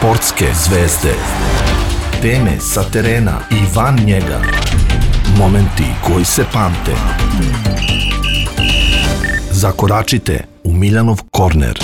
Sportske zvezde. Teme sa terena i van njega. Momenti koji se pamte. Zakoračite u Miljanov korner.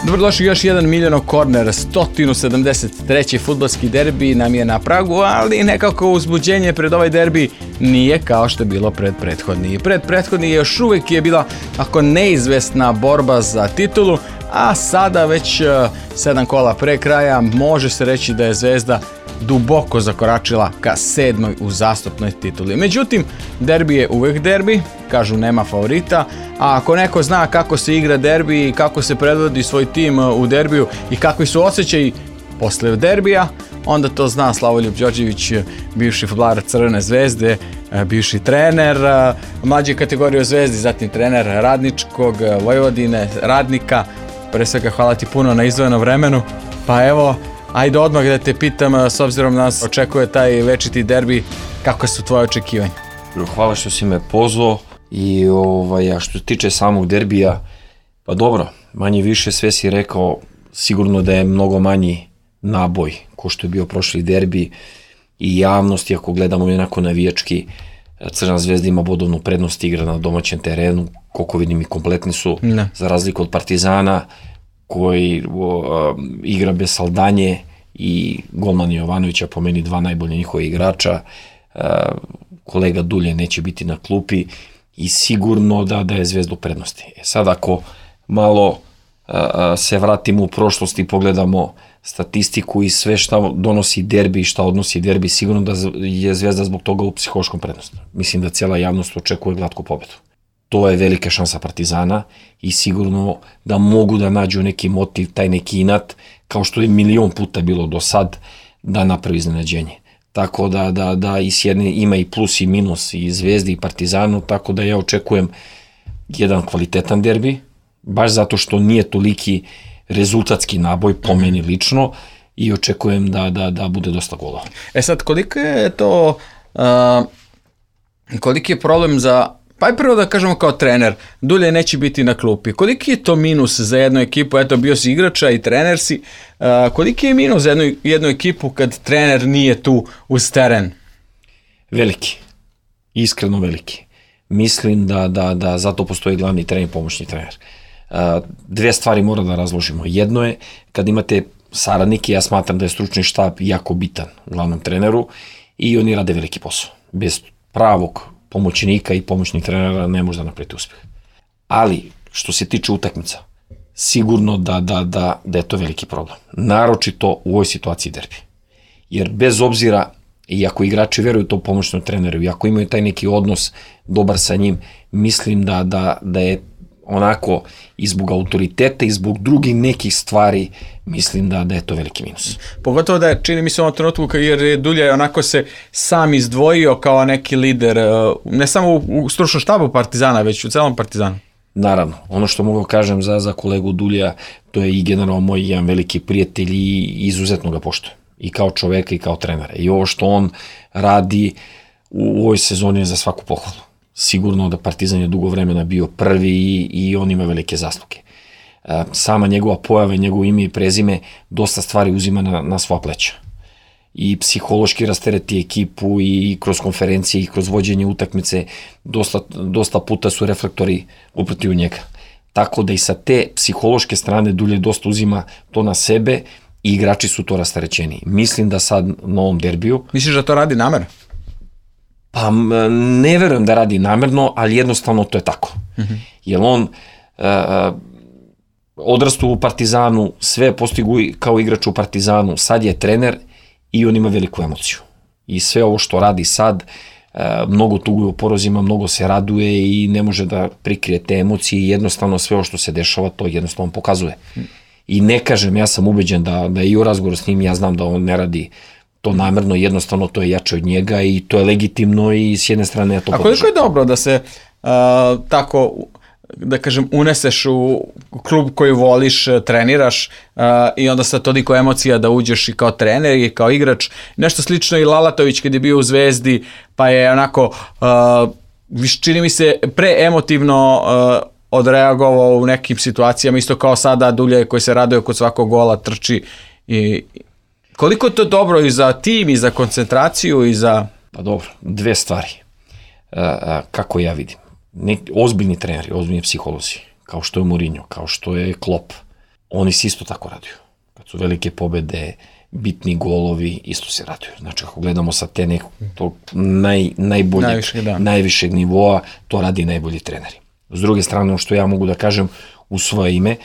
Dobrodošli još jedan Miljanov korner, 173. fudbalski derbi nam je na pragu, ali nekako uzbuđenje pred ovaj derbi nije kao što je bilo pred prethodni. Pred prethodni još uvijek je bila ako neizvesna borba za titulu, a sada već 7 kola pre kraja može se reći da je Zvezda duboko zakoračila ka 7. uzastopnoj tituli. Međutim, derbi je uvijek derbi, kažu nema favorita, a ako neko zna kako se igra derbi i kako se predvodi svoj tim u derbiju i kakvi su osjećaji posle derbija, onda to zna Slavoljub Đorđević, bivši fudbaler Crvene Zvezde, bivši trener mlađe kategorije u Zvezdi, zatim trener Radničkog, Vojvodine, Radnika. Pre svega hvala ti puno na izdvojenom vremenu. Pa evo, ajde odmah da te pitam, s obzirom da nas očekuje taj večiti derbi, kako su tvoje očekivanja? Hvala što si me pozvao i a što se tiče samog derbija, pa dobro, manje više sve si rekao, sigurno da je mnogo manji naboj ko što je bio prošli derbi i javnosti, ako gledamo onako navijački, Crvena Zvezda ima bodovnu prednost, igra na domaćem terenu, koliko vidim i kompletni su, za razliku od Partizana koji igra bez Saldanje i golman Jovanovića, po meni dva najbolje njihove igrača, kolega Dulje neće biti na klupi i sigurno da je Zvezda u prednosti. Sad ako malo se vratimo u prošlost i pogledamo statistiku i sve šta donosi derbi i šta odnosi derbi, sigurno da je Zvezda zbog toga u psihološkom prednosti. Mislim da cijela javnost očekuje glatku pobedu. To je velika šansa Partizana i sigurno da mogu da nađu neki motiv, taj neki inat, kao što je milion puta bilo do sad, da napravi iznenađenje. Tako da i s jedne ima i plus i minus i Zvezdi i Partizanu, tako da ja očekujem jedan kvalitetan derbi, baš zato što nije toliki rezultatski naboj po meni lično i očekujem da bude dosta golova. Sad, koliko je to, koliki je problem za, pa i prvo da kažemo kao trener, Dulje neće biti na klupi, koliki je to minus za jednu ekipu, eto bio si igrača i trener si, koliki je minus za jednu ekipu kad trener nije tu uz teren? Veliki, iskreno veliki. Mislim da zato postoji glavni trener i pomoćni trener. Dve stvari mora da razložimo. Jedno je, kad imate saradnike, ja smatram da je stručni štab jako bitan glavnom treneru i oni rade veliki posao. Bez pravog pomoćnika i pomoćnih trenera ne može da napraviti uspjeh. Ali, što se tiče utakmica, sigurno da je to veliki problem. Naročito u ovoj situaciji derbi. Jer bez obzira, i ako igrači veruju to pomoćnom treneru, i ako imaju taj neki odnos dobar sa njim, mislim da je onako i zbog autoriteta i zbog drugih nekih stvari, mislim da je to veliki minus. Pogotovo da je, čini mi se u ovom trenutku, jer je Dulje onako se sam izdvojio kao neki lider, ne samo u stručnom štabu Partizana, već u celom Partizanu. Naravno, ono što mogu kažem za kolegu Dulja, to je i generalno moj jedan veliki prijatelj i izuzetno ga poštujem. I kao čoveka i kao trenera. I ovo što on radi u ovoj sezoni je za svaku pohvalu. Sigurno da Partizan je dugo vremena bio prvi i on ima velike zasluge. Sama njegova pojava, njegovo ime i prezime dosta stvari uzima na svoja pleća. I psihološki rastereti ekipu i kroz konferencije i kroz vođenje utakmice dosta puta su reflektori uprti u njega. Tako da i sa te psihološke strane Dulje dosta uzima to na sebe i igrači su to rasterećeni. Mislim da sad na ovom derbiju... Misliš da to radi namerno? Pa ne verujem da radi namerno, ali jednostavno to je tako. Jer on odrastu u Partizanu, sve postigu kao igrač u Partizanu, sad je trener i on ima veliku emociju. I sve ovo što radi sad, mnogo tuguje u porozima, mnogo se raduje i ne može da prikrije te emocije i jednostavno sve ovo što se dešava, to jednostavno pokazuje. I ne kažem, ja sam ubeđen da i u razgovoru s njim, ja znam da on ne radi to namerno, jednostavno to je jače od njega i to je legitimno i s jedne strane ja to podržam. A koliko je dobro da se tako, da kažem, uneseš u klub koji voliš, treniraš i onda sa toliko emocija da uđeš i kao trener i kao igrač. Nešto slično i Lalatović kad je bio u Zvezdi, pa je onako, čini mi se, preemotivno odreagovao u nekim situacijama, isto kao sada Dulje koji se raduje kod svakog gola, trči. I koliko je to dobro i za tim, i za koncentraciju, i za... Pa dobro, dve stvari. Kako ja vidim. Ozbiljni treneri, ozbiljni psiholozi, kao što je Mourinho, kao što je Klopp, oni se isto tako raduju. Kad su velike pobede, bitni golovi, isto se raduju. Znači, ako gledamo sa te nekog najvišeg nivoa, to radi najbolji treneri. S druge strane, ono što ja mogu da kažem u svoje ime,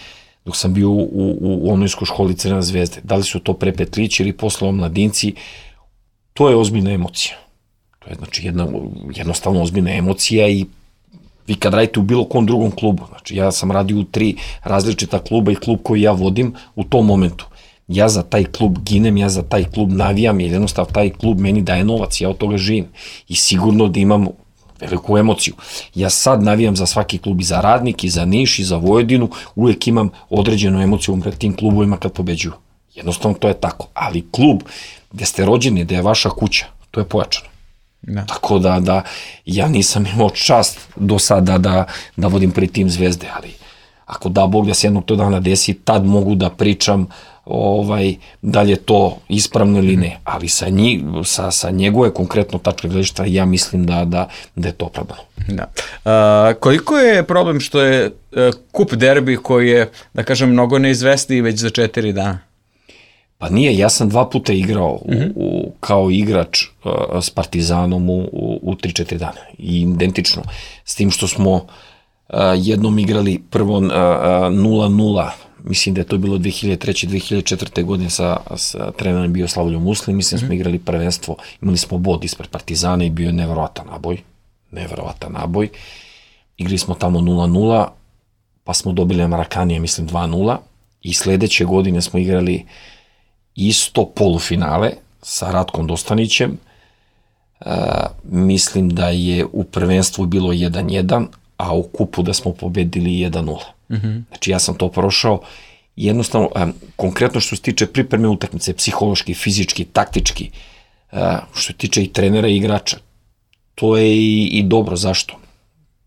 dok sam bio u omladinskoj školi Crvene zvezde, da li su to pre Petlić ili posle omladinci, to je ozbiljna emocija. To je znači jednostavno ozbiljna emocija i vi kad radite u bilo kom drugom klubu, znači ja sam radio u 3 različita kluba i klub koji ja vodim u tom momentu. Ja za taj klub ginem, ja za taj klub navijam, jer jednostavno taj klub meni daje novac, ja od toga živim. I sigurno da imam veliku emociju. Ja sad navijam za svaki klub, i za Radnik, i za Niš, i za Vojvodinu, uvek imam određenu emociju pred tim klubovima kad pobeđuju. Jednostavno to je tako. Ali klub gde ste rođeni, gde je vaša kuća, to je pojačano. Da. Tako da ja nisam imao čast do sada da vodim pri tim Zvezde, ali ako da Bog da se jednog to dana desi, tad mogu da pričam da li je to ispravno ili ne, ali sa njegove konkretno tačke gledišta ja mislim da je to opravdano. Da. Koliko je problem što je kup derbi koji je, da kažem, mnogo neizvesniji već za 4 dana? Pa nije, ja sam 2 puta igrao kao igrač s Partizanom u 3-4 dana. I identično. S tim što smo jednom igrali prvo 0-0, mislim da je to bilo 2003-2004. godine sa trenerom bio Slavoljom Muslim, mislim smo igrali prvenstvo, imali smo bod ispred Partizana i bio je neverovatan naboj. Igrali smo tamo 0-0, pa smo dobili Marakanija, mislim 2-0, i sledeće godine smo igrali isto polufinale sa Ratkom Dostanićem. Mislim da je u prvenstvu bilo 1-1, a u kupu da smo pobedili 1-0. Znači ja sam to prošao. Jednostavno, konkretno što se tiče pripreme utakmice, psihološki, fizički, taktički, što se tiče i trenera i igrača, to je i dobro. Zašto?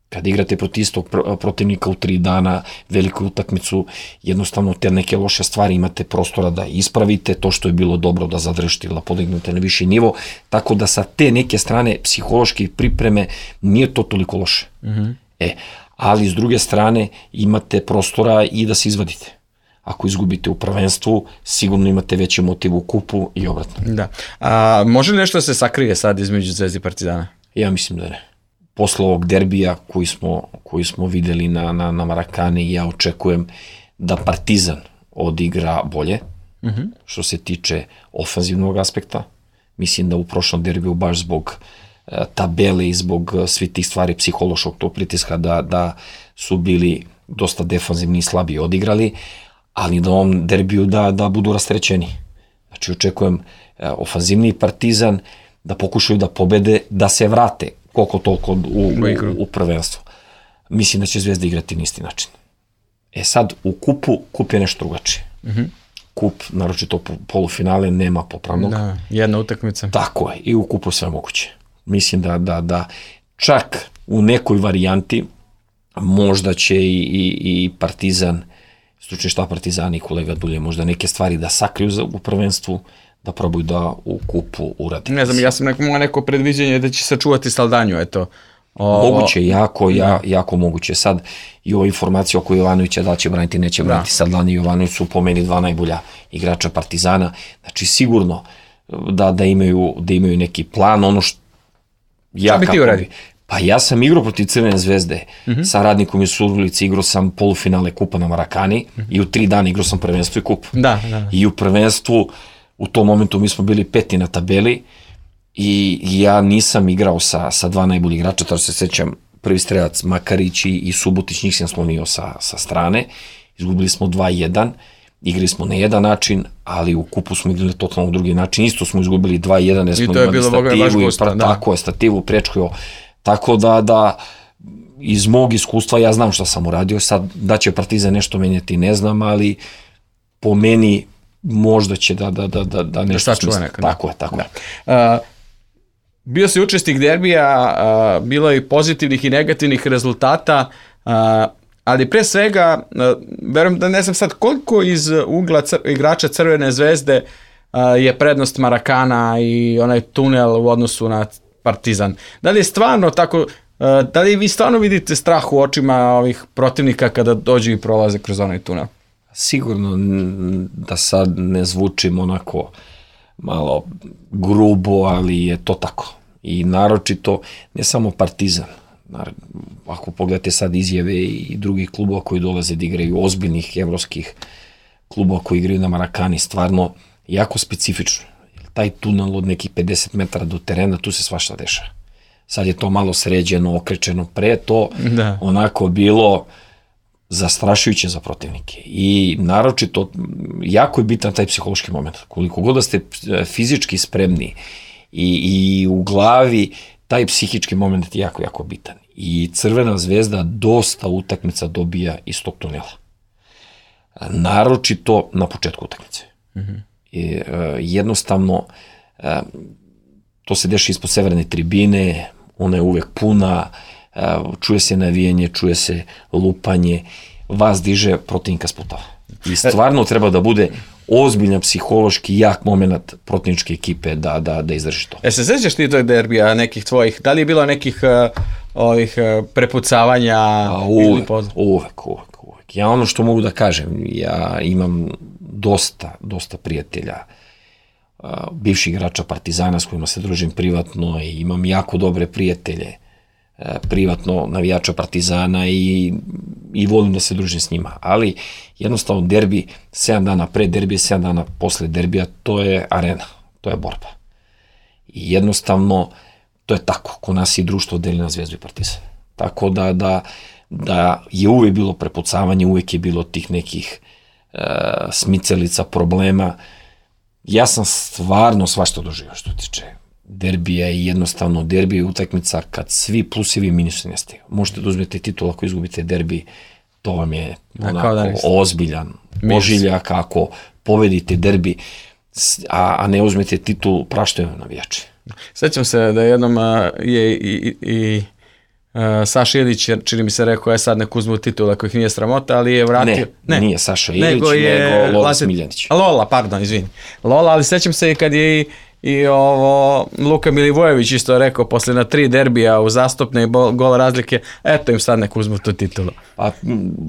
Kada igrate protiv istog protivnika u 3 dana, veliku utakmicu, jednostavno te neke loše stvari imate prostora da ispravite, to što je bilo dobro da zadržite ili da podignete na viši nivo, tako da sa te neke strane psihološke pripreme nije to toliko loše. Ali s druge strane imate prostora i da se izvadite. Ako izgubite u prvenstvu, sigurno imate veći motiv u kupu i obratno. Da. A može li nešto da se sakrije sad između Zvezde i Partizana? Ja mislim da ne. Posle ovog derbija koji smo videli na Marakani, ja očekujem da Partizan odigra bolje, što se tiče ofanzivnog aspekta. Mislim da u prošlom derbiju baš zbog tabele i zbog svih tih stvari psihološkog tog pritiska da su bili dosta defanzivni i slabiji odigrali, ali na ovom derbiju da budu rastrećeni. Znači očekujem ofanzivniji Partizan, da pokušaju da pobede, da se vrate koliko toliko u prvenstvo. Mislim da će Zvezda igrati na isti način. Sad, u kup je nešto drugačije. Kup, naročito polufinale, nema popravnog. Da, jedna utakmica. Tako je, i u kupu sve moguće. Mislim da čak u nekoj varijanti možda će i Partizan, stručni štab Partizana i kolega Dulje, možda neke stvari da sakriju u prvenstvu, da probaju da u kupu uradi. Ne znam, ja sam neko predviđenje da će sačuvati Saldanju, eto. Moguće, jako moguće. Sad i ova informacija oko Jovanovića, da će braniti, neće braniti, Saldanju i Jovanović su po meni 2 najbolja igrača Partizana. Znači sigurno da imaju neki plan, ono što šta bi ti uradi? Pa ja sam igrao protiv Crvene zvezde sa Radnikom iz Surdulice, igrao sam polufinale kupa na Marakani i u 3 dana igrao sam prvenstvo i kup. I u prvenstvu u tom momentu mi smo bili 5. na tabeli i ja nisam igrao sa 2 najbolji igrača, tako se sećam, prvi strelac Makarić i Subotić, njih sam slomio sa strane, izgubili smo 2-1, igrali smo na jedan način, ali u kupu smo igrali totalno drugi način, isto smo izgubili 2-1, jer smo imali stativu, tako je, stativu prečkio, tako da iz mog iskustva ja znam šta sam uradio, sad da će Partizan nešto menjati ne znam, ali po meni možda će da nešto smisli. Tako je. Bio si učesnik derbija, bilo je i pozitivnih i negativnih rezultata. ali pre svega, verujem da ne znam sad koliko iz ugla igrača Crvene zvezde je prednost Marakana i onaj tunel u odnosu na Partizan. Da li je stvarno tako, da li vi stvarno vidite strah u očima ovih protivnika kada dođu i prolaze kroz onaj tunel? Sigurno da sad ne zvučim onako malo grubo, ali je to tako. I naročito, ne samo Partizan, ako pogledate sad izjave i drugih klubova koji dolaze da igraju, ozbiljnih evropskih klubova koji igraju na Marakani, stvarno jako specifično. Taj tunel od nekih 50 metara do terena, tu se svašta dešava. Sad je to malo sređeno, okrečeno, pre to onako bilo zastrašujuće za protivnike. I naročito, jako je bitan taj psihološki moment. Koliko god da ste fizički spremni i u glavi, taj psihički moment je jako, jako bitan. I Crvena zvezda dosta utakmica dobija iz tog tunela. Naročito na početku utakmice. I, jednostavno, to se deša ispod severne tribine, ona je uvek puna, čuje se navijanje, čuje se lupanje, vas diže, protivnika sputava. I stvarno treba da bude ozbiljan psihološki jak moment protivničke ekipe da izdrži to. Se sećaš ti tog derbija nekih tvojih? Da li je bilo nekih ovih prepucavanja? Uvek. Ja ono što mogu da kažem, ja imam dosta prijatelja, bivših igrača Partizana s kojima se družim privatno i imam jako dobre prijatelje privatno navijača Partizana i volim da se družim s njima. Ali jednostavno derbi 7 dana pre derbija, 7 dana posle derbija, to je arena, to je borba. I jednostavno to je tako, ko nas i društvo deli na Zvezdu i Partizan. Tako da je uvek bilo prepucavanje, uvek je bilo tih nekih smicalica, problema. Ja sam stvarno svašta doživio što tiče derbija i jednostavno derbi je utakmica kad svi plusevi i minusi nestaju. Možete da uzmete titul ako izgubite derbi, to vam je onako ozbiljan ožiljak. Ako pobedite derbi, a ne uzmete titul, praštaju navijači. Sećam se da jednom je i Saša Ilić, čini mi se rekao, sad nek uzmu titul ako ih nije sramota, ali je vratio... Ne, nije Saša Ilić, nego Lola Smiljanić. Lola, pardon, izvini. Lola, ali sećam se i kad je i Luka Milivojević isto rekao, posle na 3 derbija u zastupne i gol razlike, eto im sad nek uzmu tu titulu. Pa,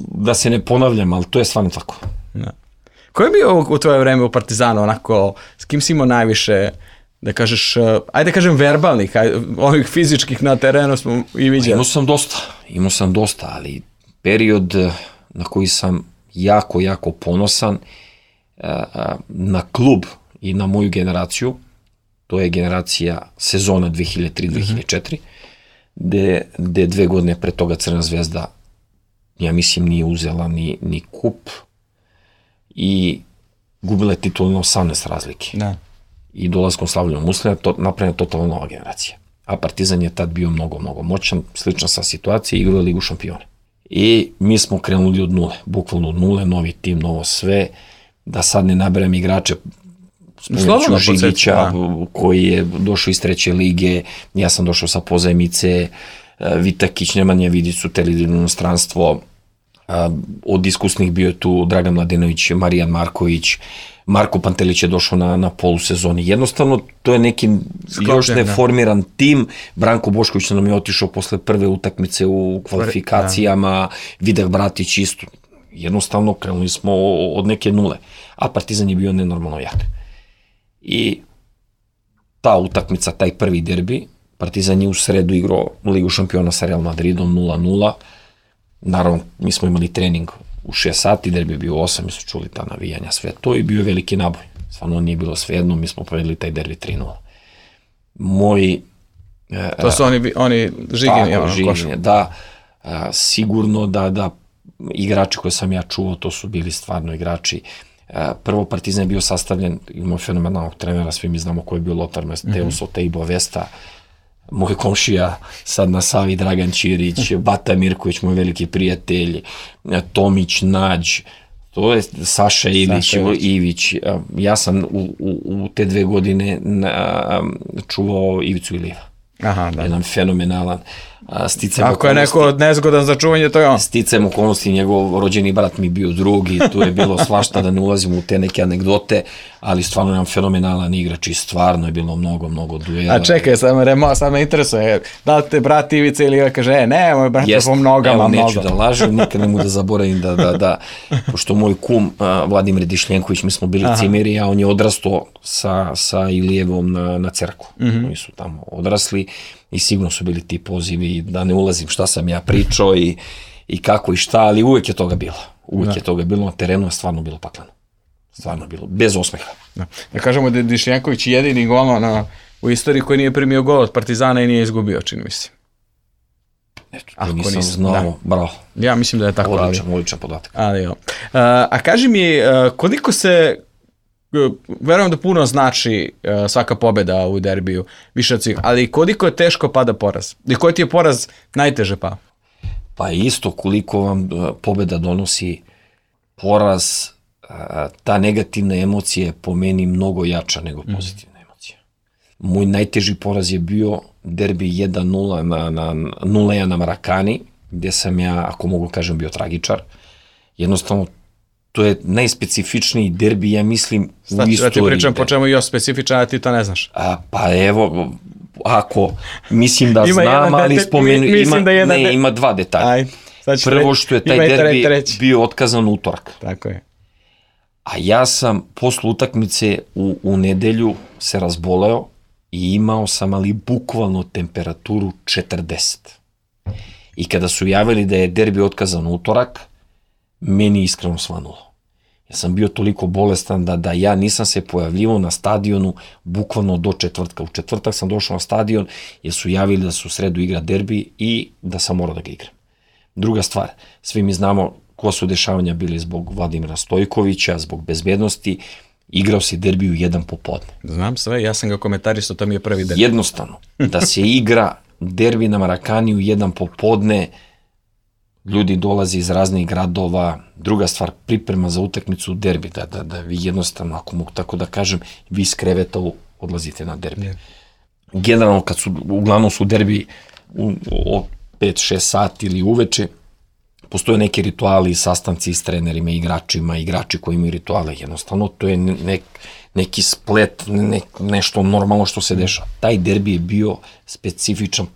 da se ne ponavljam, ali to je stvarno tako. Ko je bio u tvoje vreme u Partizanu, onako, s kim si imao najviše, da kažeš, ajde kažem verbalnih, ovih fizičkih na terenu smo i vidjeli? Imao sam dosta, ali period na koji sam jako ponosan na klub i na moju generaciju, to je generacija sezona 2003-2004, gde 2 godine pre toga Crvena zvezda, ja mislim, nije uzela ni kup i gubila je titul na 18 razlike. Da. I dolaskom Slavljom Muslina napravljena totalno nova generacija. A Partizan je tad bio mnogo moćan, slična sa situacije, igrao Ligu šampiona. I mi smo krenuli od nule, bukvalno od nule, novi tim, novo sve, da sad ne naberem igrače, spomenuću Žigića, koji je došao iz 3. lige, ja sam došao sa pozajmice, Vitakić, Nemanja Vidić su teli u inostranstvo, od iskusnih bio je tu Dragan Mladenović, Marijan Marković, Marko Pantelić je došao na polusezoni. Jednostavno, to je neki još neformiran tim. Branko Bošković nam je otišao posle prve utakmice u kvalifikacijama, Vidah Bratić isto. Jednostavno, krenuli smo od neke nule. A Partizan je bio nenormalno jak. I ta utakmica, taj prvi derbi, Partizan je u sredu igrao Ligu šampiona sa Real Madridom 0-0. Naravno, mi smo imali trening u 6 sati, derbi je bio 8, mi su čuli ta navijanja, sve to i bio je veliki naboj. Stvarno nije bilo svejedno, mi smo povedali taj derbi 3-0. To su oni Žigini. Da, sigurno da igrači koje sam ja čuo, to su bili stvarno igrači. Prvo, Partizan je bio sastavljen, imao fenomenalnog trenera, svi mi znamo ko je bio Lothar Matthäus, Oteibo Vesta, moj komšija sad na Savi, Dragan Ćirić, Bata Mirković, moj veliki prijatelj, Tomić, Nađ, to je Saša Ivić. Ja sam u te 2 godine čuvao Ivicu Iliva. Jedan fenomenalan. Ako je neko nezgodan za čuvanje, to je on. Sticajem okolnosti, njegov rođeni brat mi bio drugi, tu je bilo svašta, da ne ulazim u te neke anegdote, ali stvarno nam fenomenalan igrač i stvarno je bilo mnogo duela. A čekaj, sad me interesuje, da li te brat Ivica ili kaže, ne, moj brat je po nogama mnogo. Neću da lažem, nikad ne mogu da zaboravim da pošto moj kum Vladimir Dišljenković, mi smo bili cimeri, a on je odrastao sa Ilijevom na Cerku. Oni su tamo odrasli i sigurno su bili ti pozivi, da ne ulazim šta sam ja pričao i kako i šta, ali uvek je toga bilo. Uvek je toga bilo, na terenu je stvarno bilo pakleno. Stvarno bilo, bez osmeha. Da kažemo da je Dišljenković jedini golman u istoriji koji nije primio gol od Partizana i nije izgubio, čini mi se. Eto, to nisam znao, bravo. Ja mislim da je tako. Odličan podatak. A kaži mi, koliko se, verujem da puno znači svaka pobjeda u derbiju, više od svih, ali koliko je teško pada poraz? I koji ti je poraz najteže pao? Pa isto koliko vam pobjeda donosi poraz, ta negativna emocija je po meni mnogo jača nego pozitivna emocija. Moj najteži poraz je bio derbi 1-0 na 0-1 na Marakani, gdje sam ja, ako mogu kažem, bio tragičar. Jednostavno, to je najspecifičniji derbi, ja mislim, u istoriji. Da ti pričam po čemu je još specifičan, a ti to ne znaš. Pa evo, ako mislim da znam, ali spomenu, ima dva detalja. Prvo što je taj derbi bio otkazan utorak. Tako je. A ja sam posle utakmice u nedelju se razboleo i imao sam ali bukvalno temperaturu 40. I kada su javili da je derbi otkazan utorak, meni iskreno svanulo. Ja sam bio toliko bolestan da ja nisam se pojavljivao na stadionu bukvalno do četvrtka. U četvrtak sam došao na stadion jer su javili da su u sredu igra derbi i da sam morao da ga igram. Druga stvar, svi mi znamo koja su dešavanja bili zbog Vladimira Stojkovića, zbog bezbednosti, igrao si derbi u 1 popodne. Znam sve, ja sam ga komentarisao, to mi je prvi derbi. Jednostavno, da se igra derbi na Marakani u 1 popodne, ljudi dolaze iz raznih gradova, druga stvar, priprema za utakmicu derbi, da vi jednostavno, ako mogu tako da kažem, vi iz kreveta odlazite na derbi. Generalno, uglavnom su derbi od 5-6 sati ili uveče, postoje neki rituali, sastanci s trenerima, igračima, igrači koji imaju rituale, jednostavno, to je neki splet, nešto normalno što se dešava. Taj derbi je bio specifičan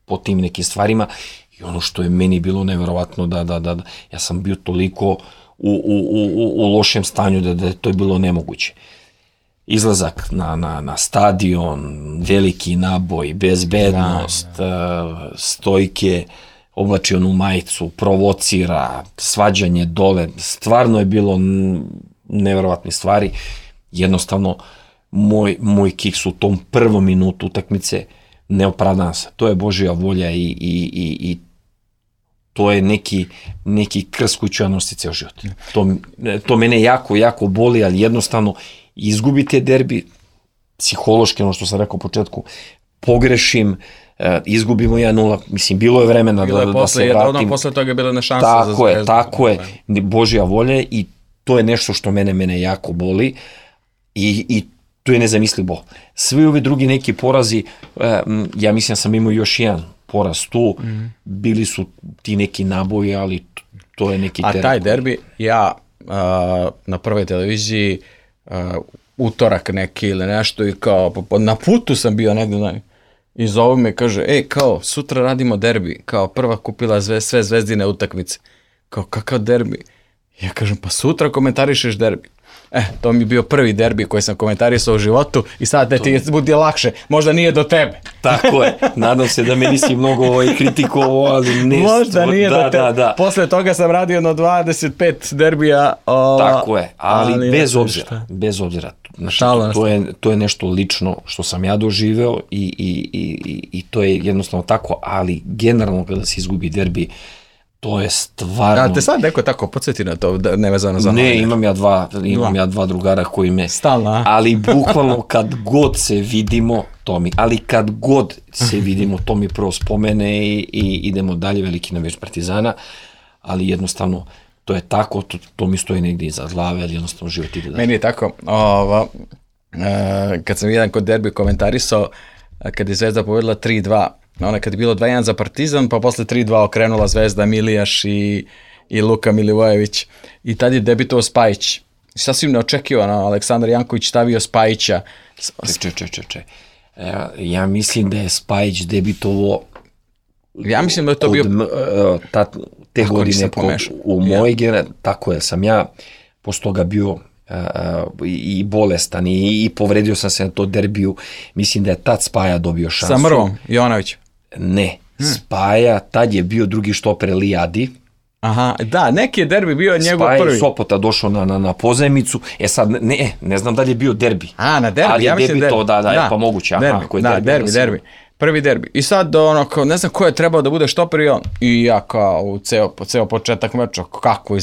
po tim nekim stvarima i ono što je meni bilo neverovatno da ja sam bio toliko u lošem stanju da to je bilo nemoguće. Izlazak na stadion, veliki naboj, bezbednost, Stojke, oblači onu majicu, provocira, svađanje dole, stvarno je bilo neverovatne stvari. Jednostavno, moj kiks u tom prvom minutu utakmice ne opravdava se. To je Božja volja i to je neki krst koji ću ja nositi ceo život. To mene jako boli, ali jednostavno izgubite derbi, psihološki, ono što sam rekao u početku, pogrešim, izgubimo 1-0, mislim, bilo je vremena da se vratim. Posle toga je bila na šansa za Zvezdu. Tako je, Božja volja i to je nešto što mene jako boli i to je nezamislivo. Svi ovi drugi neki porazi, ja mislim sam imao još jedan poraz tu, bili su ti neki naboji, ali to je neki teren. A taj derbi, ja na prvoj televiziji utorak neki ili nešto i kao na putu sam bio negdje i zovu me, kaže, kao sutra radimo derbi, kao prva kupila sve Zvezdine utakmice, kao kakav derbi? Ja kažem, pa sutra komentarišeš derbi. To mi je bio prvi derbi koji sam komentarisao u životu i sad da ti bude lakše, možda nije do tebe. Tako je, nadam se da me nisi mnogo kritikovao, ali ne. Možda nije do tebe. Da. Posle toga sam radio na 25 derbija. Tako je, ali bez obzira. To je nešto lično što sam ja doživeo i to je jednostavno tako, ali generalno kada se izgubi derbi, to je stvarno... A te sad neko tako podsjeti na to, nevezano za... Ne, imam ja dva drugara koji me... Stalno, ali bukvalno kad god se vidimo, to mi prvo spomene i idemo dalje, veliki navijač Partizana, ali jednostavno to je tako, to mi stoji negdje iza glave, ali jednostavno život ide dalje. Meni je tako, kad sam jedan kod derbi komentarisao, kad je Zvezda povedla 3-2, Ono kad je bilo 2-1 za Partizan, pa posle 3-2 okrenula Zvezda, Milijaš i Luka Milivojević. I tad je debitovao Spajić. Sasvim neočekivano, Aleksandar Janković stavio Spajića. Čekaj. Ja mislim da je Spajić debitovao ja mislim da je to bio te godine u mojoj generaciji, tako je, sam ja posle toga bio i bolestan i povredio sam se na to derbiju, mislim da je tad Spaja dobio šansu. Sa Mrvom, Jovanović? Ne, Spaja, tad je bio drugi štoper Lijadi. Aha, da, neki je derbi bio njegov prvi. Spaja je Sopota došao na pozajmicu, sad ne znam da li je bio derbi. Na derbi, ali ja mislim derbi. Ali da je pa moguće. Derbi. Prvi derbi. I sad ne znam ko je trebao da bude štoper i ja kao ceo početak meča, kako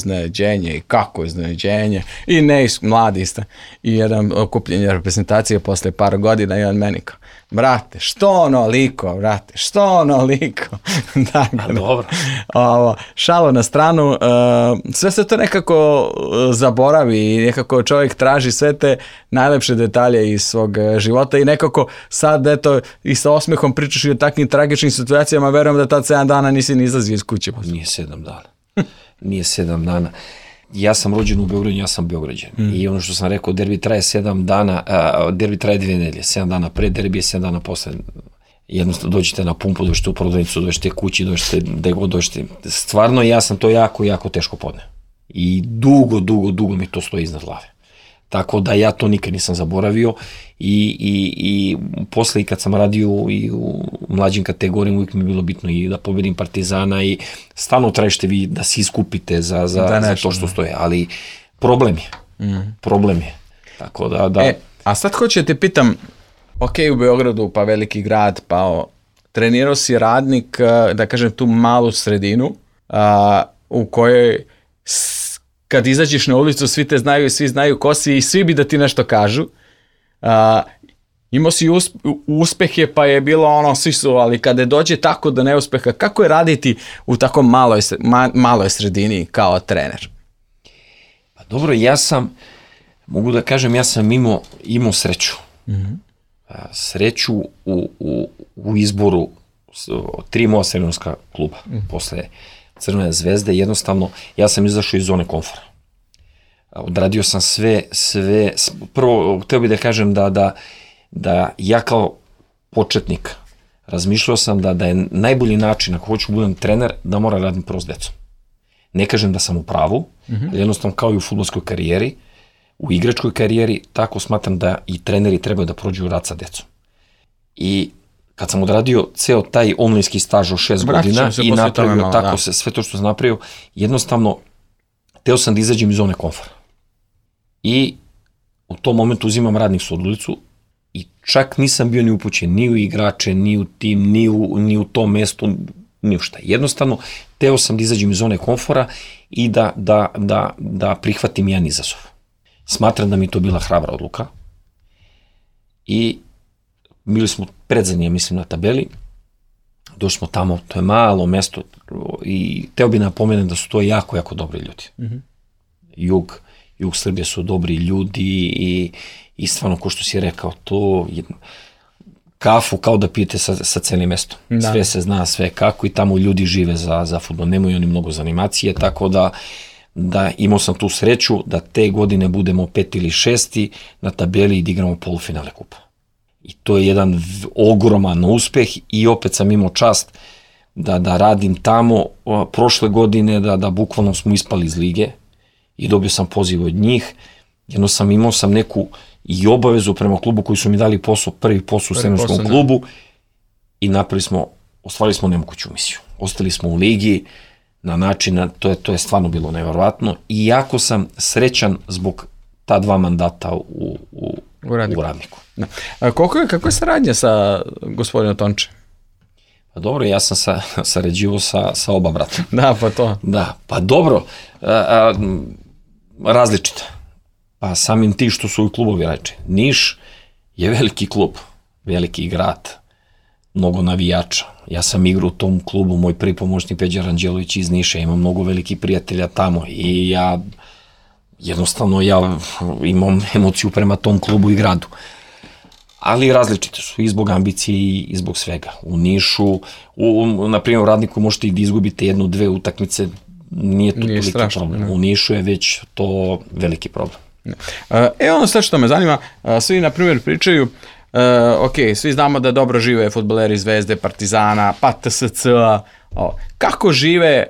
iznenađenje. I mladi ste. I jedan okupljenje reprezentacije posle par godina i on meni kao, brate, što onoliko? Dakle, dobro. Šalo na stranu, sve se to nekako zaboravi i nekako čovjek traži sve te najlepše detalje iz svog života i nekako sad eto i sa osmehom pričaš i o takvim tragičnim situacijama, verujem da tad 7 dana nisi ni izlazio iz kuće. Nije 7 dana. Ja sam rođen u Beogradu, ja sam Beograđan. I ono što sam rekao, derbi traje 7 dana, derbi traje 2 nedelje, 7 dana pre derbije, 7 dana posle. Jednostavno dođete na pumpu, dođete u prodavnicu, dođete kući, dođete gde god dođete. Stvarno ja sam to jako teško podneo. I dugo mi to stoji iznad glave. Tako da ja to nikad nisam zaboravio i posle i kad sam radio i u mlađim kategorijama uvijek mi je bilo bitno i da pobedim Partizana i stalno tražite vi da se iskupite za to što stoje, ali problem je. Tako da. A sad hoću te pitam, ok, u Beogradu pa veliki grad, pa trenirao si Radnik, da kažem tu malu sredinu u kojoj kad izađeš na ulicu, svi te znaju i svi znaju ko si i svi bi da ti nešto kažu. Imao si uspehe pa je bilo svi su, ali kada dođe tako do neuspeha, kako je raditi u tako maloj sredini kao trener? Pa dobro, mogu da kažem, ja sam imao sreću. Sreću u izboru 3 moja srednjoškolska kluba posle Crvene zvezde, jednostavno ja sam izašao iz zone komfora. Odradio sam sve, prvo hteo bih da kažem da ja kao početnik razmišljao sam da je najbolji način ako hoću budem trener da moram radim prvo s decom. Ne kažem da sam u pravu, ali jednostavno kao i u fudbalskoj karijeri, u igračkoj karijeri, tako smatram da i treneri trebaju da prođu rad sa decom. I kad sam odradio ceo taj omlinski staž od 6 godina i napravio tako sve to što sam napravio, jednostavno teo sam da izađem iz zone komfora. I u tom momentu uzimam radnik su ulicu i čak nisam bio ni upućen ni u igrače, ni u tim, ni u tom mestu, ni u šta. Jednostavno, teo sam da izađem iz zone komfora i da prihvatim jedan izazov. Smatram da mi to bila hrabra odluka i bili smo predzadnji, mislim, na tabeli, došli smo tamo, to je malo mesto i teo bi napomenem da su to jako dobri ljudi. Jug Srbije su dobri ljudi i stvarno, ko što si rekao, to kafu kao da pijete sa celim mestom. Sve se zna, sve kako i tamo ljudi žive za fudbal, nemaju oni mnogo za animacije, tako da imao sam tu sreću da te godine budemo 5. ili 6. na tabeli i da igramo polufinale kupa. I to je jedan ogroman uspeh i opet sam imao čast da radim tamo prošle godine, da bukvalno smo ispali iz lige i dobio sam poziv od njih. Imao sam neku i obavezu prema klubu koji su mi dali posao, prvi posao u srednjoškolskom klubu i ostvarili smo nemoguću misiju. Ostali smo u ligi na način, to je stvarno bilo neverovatno i jako sam srećan zbog ta 2 mandata u Radniku. Kako je saradnja sa gospodinom Tonče? Pa dobro, ja sam sarađivao sa oba brata. Da, pa to. Da, pa dobro, različito. Pa samim ti što su i klubovi reče. Niš je veliki klub, veliki grad, mnogo navijača. Ja sam igrao u tom klubu, moj prvi pomoćnik Peđa Ranđelović iz Niša, imam mnogo velikih prijatelja tamo i jednostavno ja imam emociju prema tom klubu i gradu. ali različite su i zbog ambicije i zbog svega. U Nišu, na primjer u Radniku možete i da izgubite 1-2 utakmice, nije to toliki problem. Ne. U Nišu je već to veliki problem. Ono sad što me zanima, svi na primjer pričaju, ok, svi znamo da dobro žive fudbaleri Zvezde, Partizana, pa TSC-a, kako žive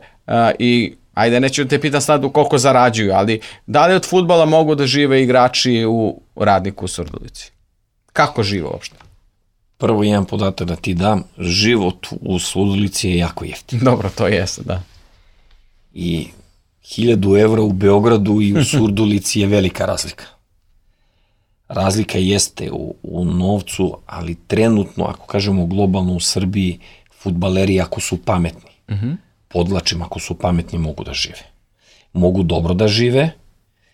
i ajde, neću te pitam sad koliko zarađuju, ali da li od fudbala mogu da žive igrači u Radniku u Surdulici? Kako žive uopšte? Prvo jedan podatak da ti dam, život u Surdulici je jako jeftin. Dobro, to jeste, da. I 1000 evra u Beogradu i u Surdulici je velika razlika. Razlika jeste u novcu, ali trenutno, ako kažemo globalno u Srbiji, fudbaleri ako su pametni, podlačim, ako su pametni mogu da žive. Mogu dobro da žive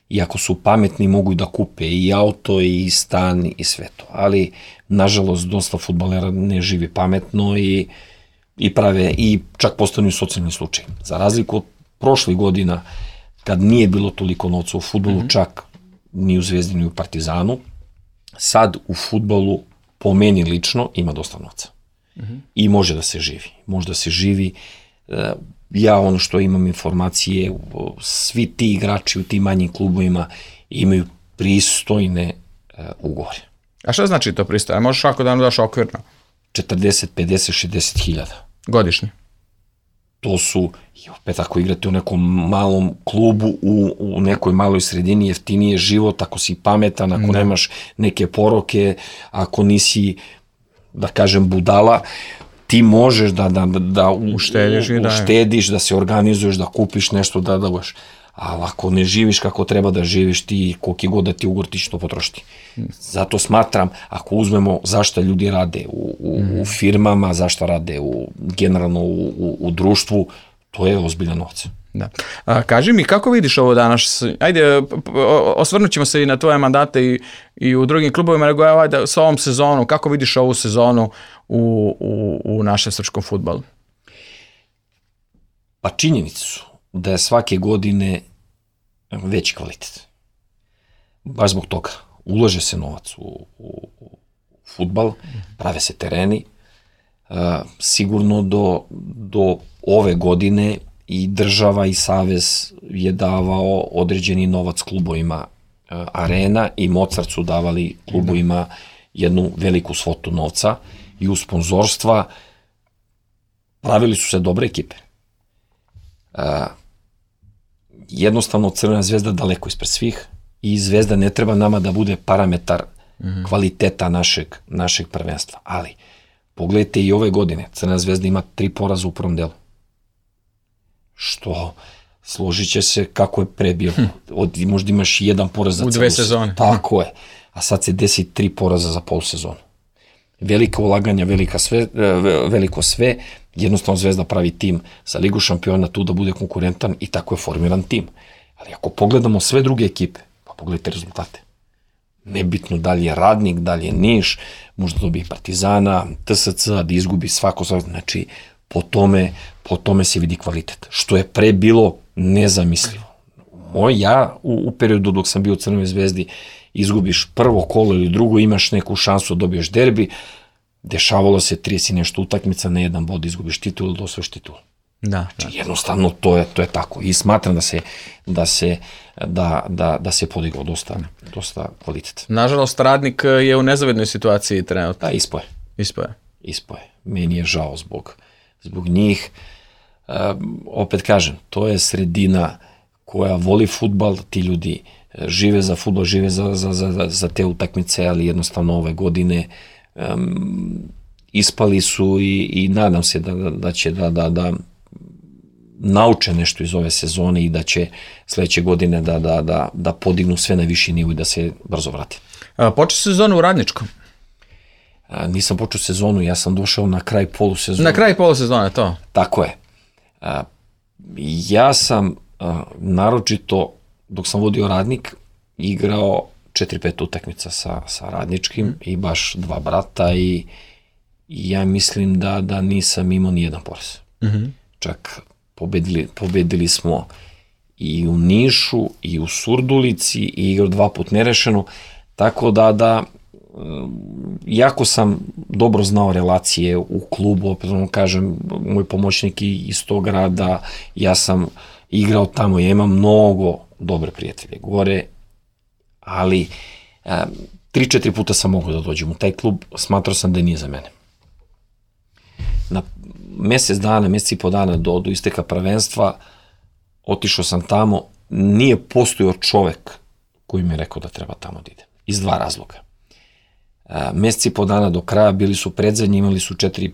i ako su pametni mogu i da kupe i auto i stan i sve to. Ali, nažalost, dosta fudbalera ne živi pametno i prave, i čak postanu socijalni slučaj. Za razliku od prošlih godina, kad nije bilo toliko novca u fudbalu, čak ni u Zvezdi ni u Partizanu, sad u fudbalu, po meni lično, ima dosta novca. I može da se živi. Može da se živi. Ja ono što imam informacije, svi ti igrači u tim manjim klubovima imaju pristojne ugovore. A šta znači to pristojno? Možeš svako da nam daš okvirno? 40, 50, 60 hiljada. Godišnje? To su, i opet ako igrate u nekom malom klubu, u nekoj maloj sredini, jeftinije život, ako si pametan, ako nemaš neke poroke, ako nisi, da kažem, budala, ti možeš da uštediš, da se organizuješ, da kupiš nešto, da daš. Ali ako ne živiš kako treba da živiš, ti koliki god da ti ugor, ti će to potrošiti. Zato smatram, ako uzmemo zašto ljudi rade u firmama, zašto rade generalno u društvu, to je ozbiljan novac. Da. Kaži mi, kako vidiš ovo danas? Ajde, osvrnut ćemo se i na tvoje mandate i u drugim klubovima, nego ajde, s ovom sezonu, kako vidiš ovu sezonu u našem srpskom fudbalu? Pa činjenice su da je svake godine veći kvalitet. Baš zbog toga. Ulaže se novac u fudbal, prave se tereni. Sigurno do ove godine i država i savez je davao određeni novac klubovima. Arena i Mozart su davali klubovima jednu veliku svotu novca i u sponzorstva pravili su se dobre ekipe. Jednostavno Crvena zvezda daleko ispred svih i Zvezda ne treba nama da bude parametar kvaliteta našeg prvenstva. Ali, pogledajte i ove godine, Crvena zvezda ima 3 poraza u prvom delu. Što, složit će se kako je pre bilo. Možda imaš 1 poraz za u 2 sezone. Tako je. A sad se desi 3 poraza za polusezonu. Velika ulaganja, veliko sve, jednostavno Zvezda pravi tim sa Ligu šampiona tu da bude konkurentan i tako je formiran tim. Ali ako pogledamo sve druge ekipe, pa pogledajte rezultate. Nebitno da li je Radnik, da li je Niš, možda dobije Partizana, TSC, da izgubi svako, znači po tome se vidi kvalitet. Što je pre bilo nezamislivo. Ja u periodu dok sam bio u Crvenoj zvezdi, izgubiš prvo kolo ili drugo, imaš neku šansu da dobiješ derbi, dešavalo se 30 i nešto utakmica, na 1 bod izgubiš titul ili osvojiš titul. Znači, jednostavno to je tako i smatram da se podigao dosta kvalitet. Nažalost, Radnik je u nezavidnoj situaciji trenutno. Da, ispoje. Meni je žao zbog njih. Opet kažem, to je sredina koja voli fudbal, ti ljudi žive za fudbal, žive za te utakmice, ali jednostavno ove godine ispali su i nadam se da će da nauče nešto iz ove sezone i da će sledeće godine da podignu sve na viši nivo i da se brzo vrati. Počeo sezonu u Radničkom? Nisam počeo sezonu, ja sam došao na kraj polusezone. Na kraj polusezone, to? Tako je. Ja sam naročito, dok sam vodio Radnik, igrao 4-5 utakmica sa Radničkim i baš 2 brata i ja mislim da nisam imao ni jedan poraz. Čak pobedili smo i u Nišu i u Surdulici i igrao 2 put nerešeno, tako da jako sam dobro znao relacije u klubu, opet kažem, moj pomoćnik iz tog grada, ja sam igrao tamo, ja imam mnogo dobre prijatelje gore, ali 3-4 puta sam mogao da dođem u taj klub, smatrao sam da nije za mene. Na mesec i po dana do isteka prvenstva otišao sam tamo, nije postojao čovek koji mi je rekao da treba tamo da idem, iz 2 razloga. Mesec i po dana do kraja bili su predzadnji, imali su 4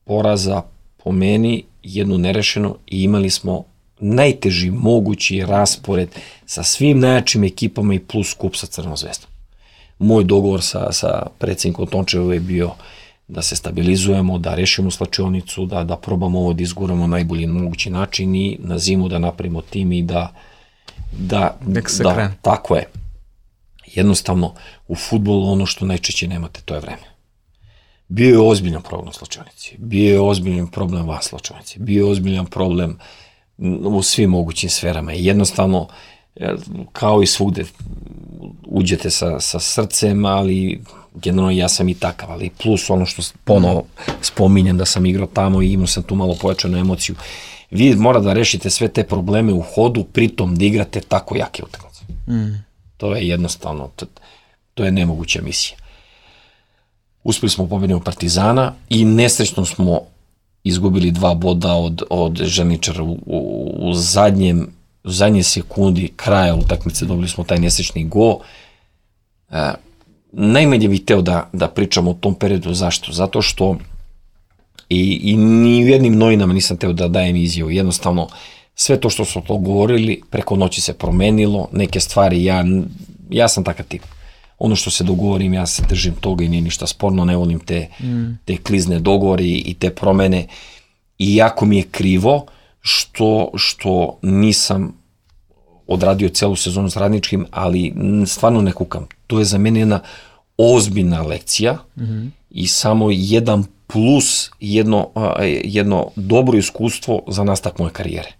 poraza po meni, 1 nerešenu i imali smo najteži mogući raspored sa svim najjačim ekipama i plus kup sa Crvenom zvezdom. Moj dogovor sa predsjednikom Tončevom je bio da se stabilizujemo, da rešimo slačionicu, da probamo ovo da izguramo na najbolji mogući način i na zimu da napravimo tim i da tako je. Jednostavno, u fudbalu ono što najčešće nemate, to je vreme. Bio je ozbiljan problem u slačionici, bio je ozbiljan problem van slačionici, bio je ozbiljan problem u svim mogućim sferama i jednostavno, kao i svugde, uđete sa srcem, ali generalno ja sam i takav, ali plus ono što ponovo spominjem da sam igrao tamo i imao sam tu malo pojačanu emociju. Vi mora da rešite sve te probleme u hodu, pritom da igrate tako jake utakmice. To je jednostavno, to je nemoguća misija. Uspeli smo pobediti od Partizana i nesrećno smo izgubili 2 boda od Žerničara u zadnje sekundi kraja utakmice, dobili smo taj nesrećni gol. Najmanje bih hteo da pričamo o tom periodu. Zašto? Zato što i ni u jednim novinama nisam hteo da dajem izjavu. Jednostavno, sve to što smo to govorili, preko noći se promenilo, neke stvari, ja sam takav tip. Ono što se dogovorim, ja se držim toga i nije ništa sporno, ne volim te klizne dogovori i te promene. I jako mi je krivo što nisam odradio celu sezonu s Radničkim, ali stvarno ne kukam. To je za mene jedna ozbiljna lekcija i samo jedan plus, jedno dobro iskustvo za nastavak moje karijere.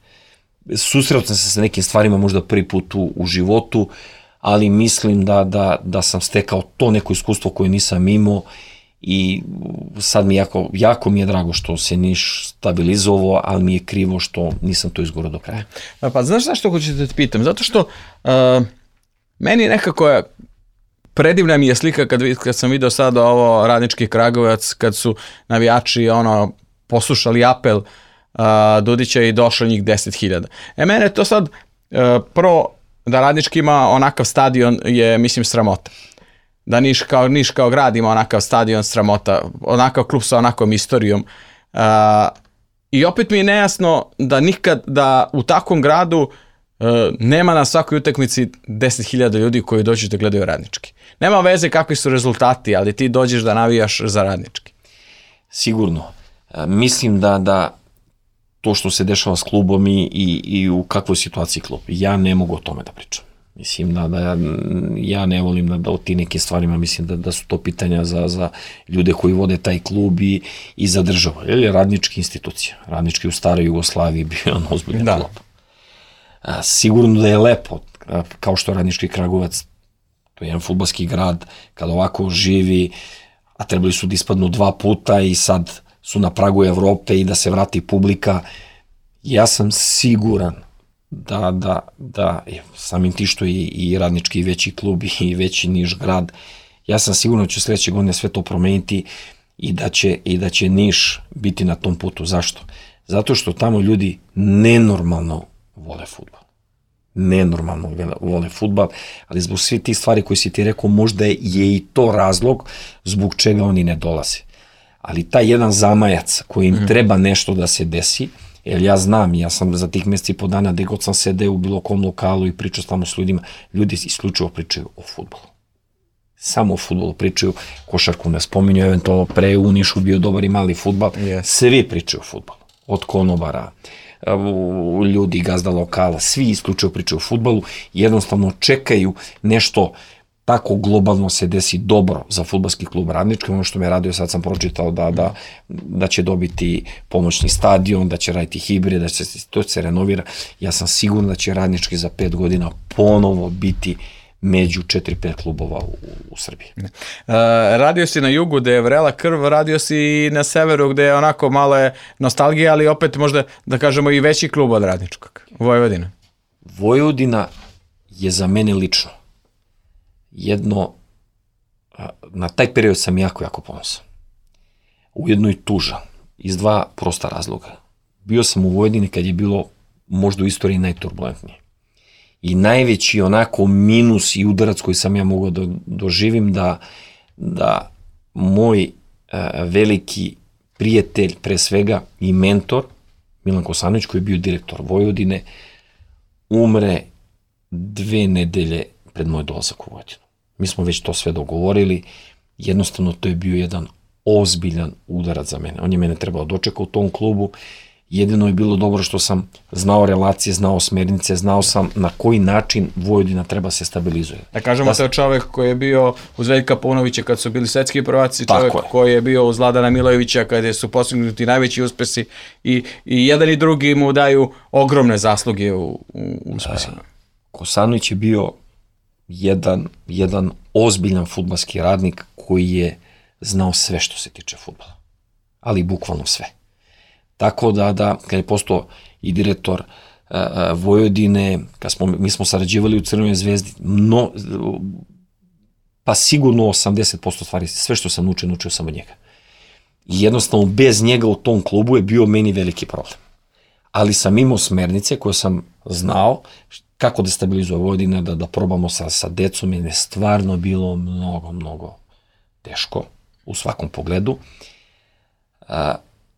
Susreo sam se sa nekim stvarima možda prvi put u životu, ali mislim da sam stekao to neko iskustvo koje nisam imao i sad mi jako mi je drago što se Niš stabilizovao, ali mi je krivo što nisam to izgurao do kraja. Pa znaš zašto hoću da te pitam? Zato što meni nekako predivna mi je slika kad sam video sad ovo Radnički Kragujevac, kad su navijači poslušali apel Dudića i došlo njih 10.000. Mene to sad prvo da Radnički ima onakav stadion je, mislim, sramota. Da Niš kao grad ima onakav stadion, sramota, onakav klub sa onakvom istorijom. I opet mi je nejasno da u takvom gradu nema na svakoj utakmici 10.000 ljudi koji dođu da gledaju Radnički. Nema veze kakvi su rezultati, ali ti dođeš da navijaš za Radnički. Sigurno. Mislim da to što se dešava s klubom i u kakvoj situaciji klub, ja ne mogu o tome da pričam. Mislim da ja ne volim da o ti nekim stvarima, mislim da su to pitanja za ljude koji vode taj klub i za državu. Ili Radnički institucija. Radnički u staroj Jugoslaviji bio on ozbiljan klub. Sigurno da je lepo, kao što Radnički Kragujevac, to je jedan fudbalski grad, kad ovako živi, a trebali su da ispadnu 2 puta i sad su na pragu Evrope i da se vrati publika. Ja sam siguran da samim ti što i Radnički veći klub i veći Niš grad, ja sam siguran da će sledeće godine sve to promeniti i da će Niš biti na tom putu. Zašto? Zato što tamo ljudi nenormalno vole fudbal. Nenormalno vole fudbal, ali zbog svih tih stvari koje si ti rekao, možda je i to razlog zbog čega oni ne dolaze. Ali taj jedan zamajac koji im treba nešto da se desi, jer ja znam, ja sam za tih meseci i po dana gde god sam sedeo u bilo kom lokalu i pričao tamo s ljudima, ljudi isključivo pričaju o fudbalu. Samo o fudbalu pričaju, košarku ne spominju, eventualno pre u Nišu bio dobar i mali fudbal, svi pričaju o fudbalu, od konobara, ljudi, gazda lokala, svi isključivo pričaju o fudbalu, jednostavno čekaju nešto tako globalno se desi dobro za fudbalski klub Radnički. Ono što me radio, sad sam pročitao da će dobiti pomoćni stadion, da će raditi hibrid, da će to se renovira. Ja sam siguran da će Radnički za 5 godina ponovo biti među 4-5 klubova u Srbiji. Radio si na jugu gde je vrela krv, radio si i na severu gde je onako malo je nostalgija, ali opet možda da kažemo i veći klub od Radničkog, Vojvodina. Vojvodina je za mene lično jedno, na taj period sam jako ponosan. Ujedno i tužan, iz dva prosta razloga. Bio sam u Vojvodini kad je bilo možda u istoriji najturbulentnije. I najveći onako minus i udarac koji sam ja mogao da doživim da moj veliki prijatelj, pre svega i mentor, Milan Kosanović, koji je bio direktor Vojvodine, umre 2 nedelje pred moj dolazak u Vojvodinu. Mi smo već to sve dogovorili, jednostavno to je bio jedan ozbiljan udarac za mene. On je mene trebao dočekati u tom klubu, jedino je bilo dobro što sam znao relacije, znao smernice, znao sam na koji način Vojvodina treba se stabilizuje. Da kažemo, to je čovek koji je bio uz Veljka Paunovića kad su bili svetski prvaci, čovek koji je bio uz Vladana Milojevića kada su postignuti najveći uspesi i jedan i drugi mu daju ogromne zasluge u uspesima. Kosanović je bio jedan ozbiljan fudbalski radnik koji je znao sve što se tiče fudbala, ali bukvalno sve. Tako da kad je postao i direktor Vojvodine, mi smo sarađivali u Crvenoj zvezdi, pa sigurno 80% stvari, sve što sam naučio sam od njega. I jednostavno bez njega u tom klubu je bio meni veliki problem. Ali sam imao smernice koje sam znao kako da stabilizuje Vojvodina, da probamo sa decom, jer je stvarno bilo mnogo teško u svakom pogledu.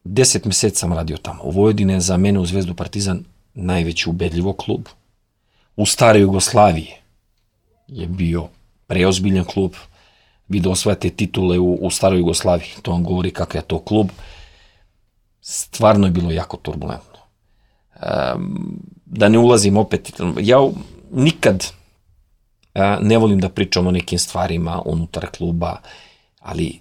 10 meseci sam radio tamo. Vojvodina je za mene u Zvezdu Partizan najveći ubedljivo klub. U staroj Jugoslaviji je bio preozbiljan klub. Vi da osvajate titule u staroj Jugoslaviji, to vam govori kakav je to klub. Stvarno je bilo jako turbulentno. Da ne ulazim opet, ja nikad ne volim da pričam o nekim stvarima unutar kluba, ali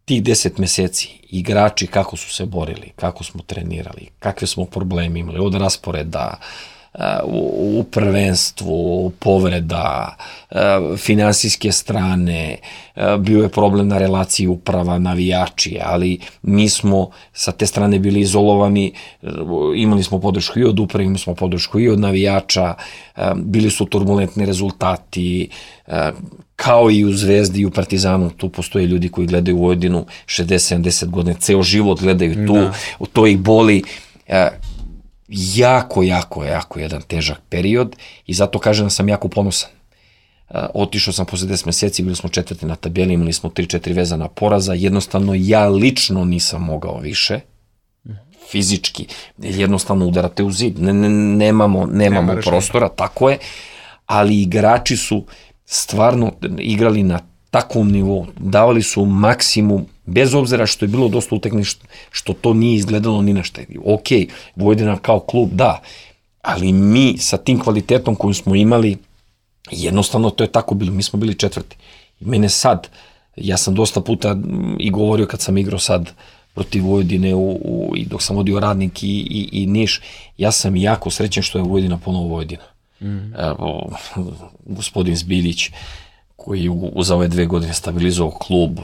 tih 10 meseci, igrači kako su se borili, kako smo trenirali, kakve smo probleme imali, od rasporeda, u prvenstvu, povreda, finansijske strane, bio je problem na relaciji uprava, navijači, ali mi smo sa te strane bili izolovani, imali smo podršku i od uprave, imali smo podršku i od navijača, bili su turbulentni rezultati, kao i u Zvezdi i u Partizanu, tu postoje ljudi koji gledaju Vojvodinu 60-70 godina, ceo život gledaju tu, to ih boli. Jako jedan težak period i zato kažem da sam jako ponosan. Otišao sam posle 10 meseci, bili smo 4. na tabeli, imali smo 3-4 vezana poraza, jednostavno ja lično nisam mogao više, fizički, jednostavno udarate u zid, nemamo prostora, tako je, ali igrači su stvarno igrali na takvom nivou, davali su maksimum, bez obzira što je bilo dosta utakmica, što to nije izgledalo ni na šta. Ok, Vojvodina kao klub, da, ali mi sa tim kvalitetom koju smo imali, jednostavno to je tako bilo, mi smo bili 4. I mene sad, ja sam dosta puta i govorio kad sam igrao sad protiv Vojvodine i dok sam vodio Radnik i Niš, ja sam jako srećen što je Vojvodina ponovo Vojvodina. Gospodin Zbiljić, koji je za ove 2 godine stabilizovao klub,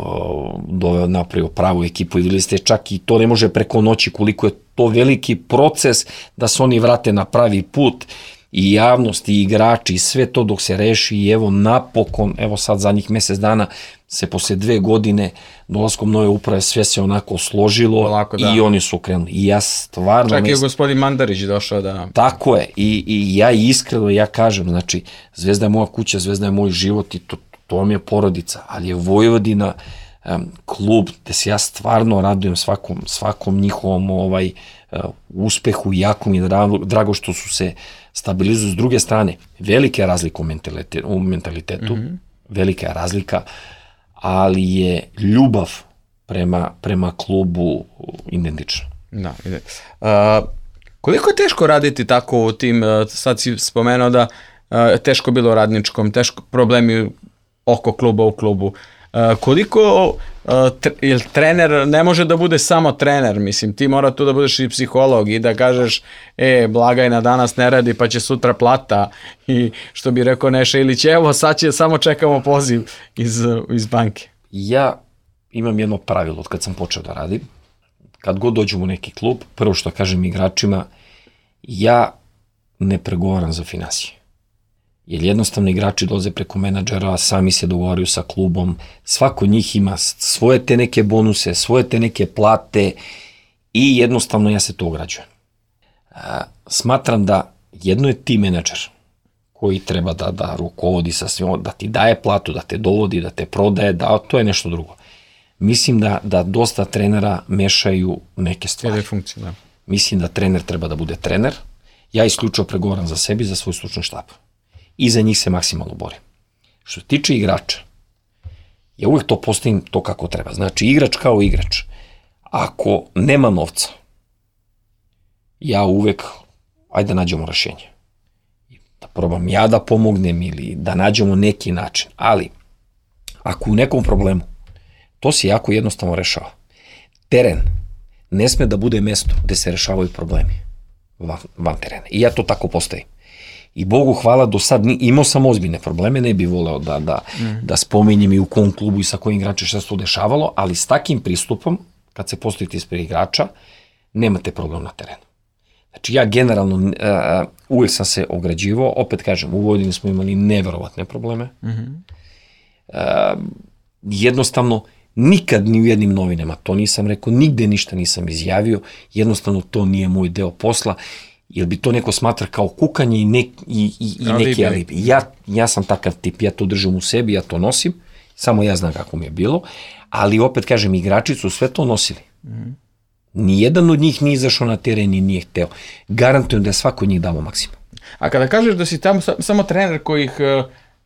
doveo, napravio pravu ekipu i videli ste čak i to ne može preko noći koliko je to veliki proces da se oni vrate na pravi put i javnost i igrači i sve to dok se reši i evo napokon, evo sad zadnjih mesec dana se posle 2 godine dolaskom nove uprave sve se onako složilo i oni su krenuli. I ja stvarno... Čak je gospodin Mandarić došao da... Tako je i ja iskreno, ja kažem, znači Zvezda je moja kuća, Zvezda je moj život i to vam je porodica, ali je Vojvodina klub gde se ja stvarno radujem svakom njihovom uspehu i jako mi je drago što su se stabilizuju. S druge strane, velika je razlika u mentalitetu, velika je razlika, ali je ljubav prema klubu identična. Da, ide. Koliko je teško raditi tako u tim, sad si spomenuo da teško bilo Radničkom, teško problemi oko kluba u klubu. Koliko jer trener ne može da bude samo trener, mislim, ti mora tu da budeš i psiholog i da kažeš blagajna danas ne radi pa će sutra plata i što bi rekao Neša Ilić, evo sad će, samo čekamo poziv iz banke. Ja imam jedno pravilo od kad sam počeo da radim, kad god dođem u neki klub, prvo što kažem igračima, ja ne pregovaram za finansije. Jer jednostavno igrači dolaze preko menadžera, sami se dogovaraju sa klubom, svako od njih ima svoje te neke bonuse, svoje te neke plate i jednostavno ja se to ograđujem. Smatram da jedno je ti menadžer koji treba da rukovodi sa svim, da ti daje platu, da te dovodi, da te prodaje, to je nešto drugo. Mislim da dosta trenera mešaju neke stvari. Mislim da trener treba da bude trener. Ja isključivo pregovaram za sebi, za svoj stručni štab. I za njih se maksimalno borim. Što se tiče igrača, ja uvek to postavim to kako treba. Znači, igrač kao igrač. Ako nema novca, ja uvek, ajde da nađemo rešenje. Da probam ja da pomognem ili da nađemo neki način. Ali, ako u nekom problemu, to se jako jednostavno rešava. Teren ne sme da bude mesto gde se rešavaju problemi van terena. I ja to tako postavim. I Bogu hvala, do sad imao sam ozbiljne probleme, ne bih voleo da spominjem i u kom klubu i sa kojim igračem šta se to dešavalo, ali s takim pristupom, kad se postavite ispred igrača, nemate problem na terenu. Znači ja generalno uvijek sam se ograđivao, opet kažem, u Vojvodini smo imali neverovatne probleme. Jednostavno, nikad ni u jednim novinama to nisam rekao, nigde ništa nisam izjavio, jednostavno to nije moj deo posla, jer bi to neko smatra kao kukanje i neki alibi. Ja sam takav tip, ja to držim u sebi, ja to nosim, samo ja znam kako mi je bilo, ali opet kažem, igrači su sve to nosili. Nijedan od njih nije izašao na teren i nije hteo. Garantujem da je svako od njih dao maksimum. A kada kažeš da si tamo samo trener koji ih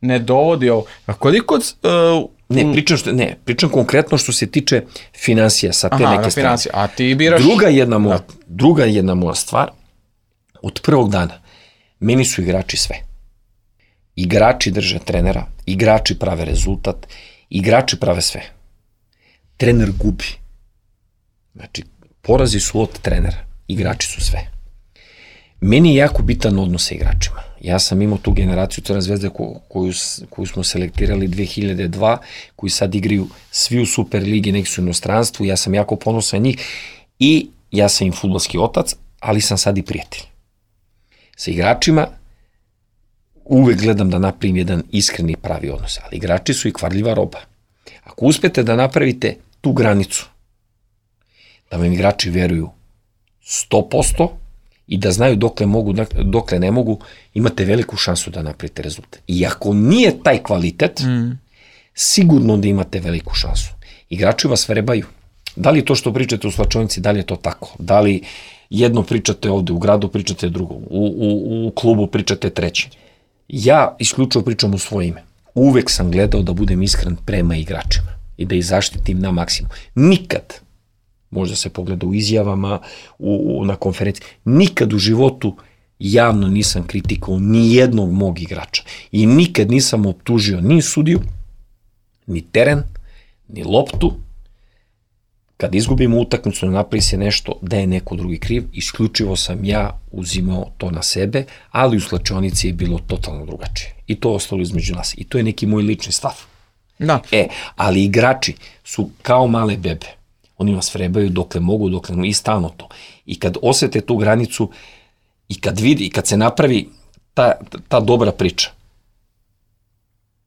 ne dovodi, koliko... Pričam konkretno što se tiče finansija sa te neke strane. A ti biraš... Druga jedna moja stvar, od prvog dana, meni su igrači sve. Igrači drže trenera, igrači prave rezultat, igrači prave sve. Trener gubi. Znači, porazi su od trenera, igrači su sve. Meni je jako bitan odnos sa igračima. Ja sam imao tu generaciju Crvene zvezde koju smo selektirali 2002, koji sad igraju svi u Superligi, neki su u inostranstvu, ja sam jako ponosan njih i ja sam im fudbalski otac, ali sam sad i prijatelj. Sa igračima uvek gledam da napravim jedan iskreni pravi odnos, ali igrači su i kvarljiva roba. Ako uspete da napravite tu granicu, da vam igrači veruju 100%, i da znaju dokle mogu, dokle ne mogu, imate veliku šansu da napravite rezultat. I ako nije taj kvalitet, sigurno da imate veliku šansu. Igrači vas vrebaju. Da li to što pričate u slačionici, da li je to tako? Da li jedno pričate ovde, u gradu pričate drugo, u klubu pričate treće? Ja isključivo pričam u svoje ime. Uvek sam gledao da budem iskren prema igračima i da ih zaštitim na maksimum. Nikad, možda se pogleda u izjavama, na konferenciji, nikad u životu javno nisam kritikovao ni jednog mog igrača i nikad nisam optužio ni sudiju, ni teren, ni loptu. Kad izgubimo utakmicu, napravi se nešto da je neko drugi kriv, isključivo sam ja uzimao to na sebe, ali u slačionici je bilo totalno drugačije. I to ostalo između nas. I to je neki moj lični stav. Da. Ali igrači su kao male bebe. Oni vas vrebaju dokle mogu, i stalno to. I kad osete tu granicu, i kad vidi, i kad se napravi ta dobra priča,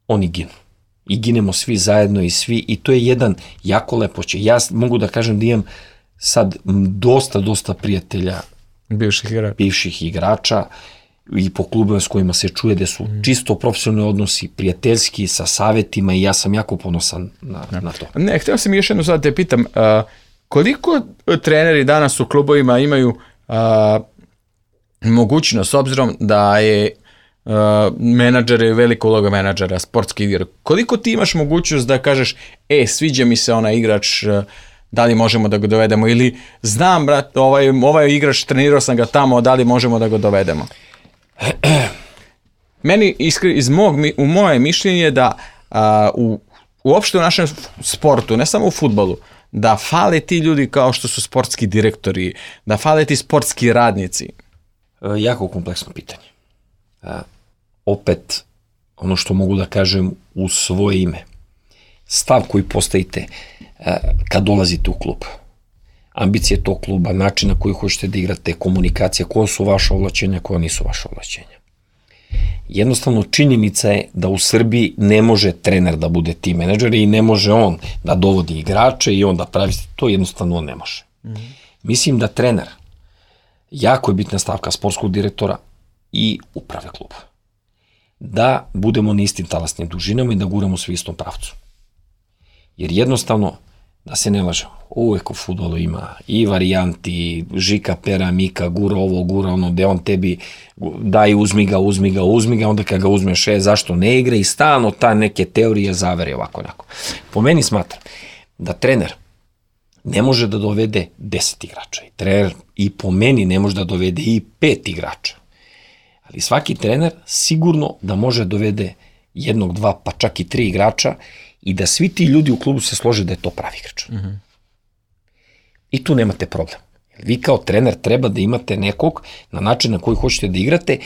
oni ginu. I ginemo svi zajedno i to je jedan jako lepoće. Ja mogu da kažem da imam sad dosta prijatelja bivših igrača i po klubima s kojima se čuje da su čisto profesionalni odnosi, prijateljski, sa savetima i ja sam jako ponosan na to. Ne, htio sam još jednu sad te pitam, koliko treneri danas u klubovima imaju mogućnost, s obzirom da je menadžer je velika uloga menadžera, sportski igra. Koliko ti imaš mogućnost da kažeš, sviđa mi se onaj igrač, da li možemo da ga dovedemo, ili znam, brat, ovaj igrač, trenirao sam ga tamo, da li možemo da ga dovedemo? Meni, u moje mišljenje, da uopšte u našem sportu, ne samo u fudbalu, da fale ti ljudi kao što su sportski direktori, da fale ti sportski radnici? Jako kompleksno pitanje. Opet, ono što mogu da kažem u svoje ime, stav koji postavite kad dolazite u klub, ambicije tog kluba, način na koji hoćete da igrate, komunikacija, koja su vaša ovlačenja, koja nisu vaša ovlačenja. Jednostavno, činjenica je da u Srbiji ne može trener da bude tim menadžer i ne može on da dovodi igrače i on da pravi, to jednostavno on ne može. Mislim da trener, jako je bitna stavka sportskog direktora i uprave kluba. Da budemo na istim talasnim dužinama i da guramo svi istom pravcu. Jer jednostavno, da se ne lažemo, uvek u fudbalu ima i varijanti, Žika, Pera, Mika, gura ovo, gura ono, gde on tebi daj uzmi ga, onda kad ga uzmeš, zašto ne igra i stalno ta neke teorije zavere ovako onako. Po meni smatram da trener ne može da dovede 10 igrača i trener i po meni ne može da dovede i 5 igrača. Ali svaki trener sigurno da može da dovede 1, 2, pa čak i 3 igrača i da svi ti ljudi u klubu se slože da je to pravi igrač. I tu nemate problem. Vi kao trener treba da imate nekog na način na koji hoćete da igrate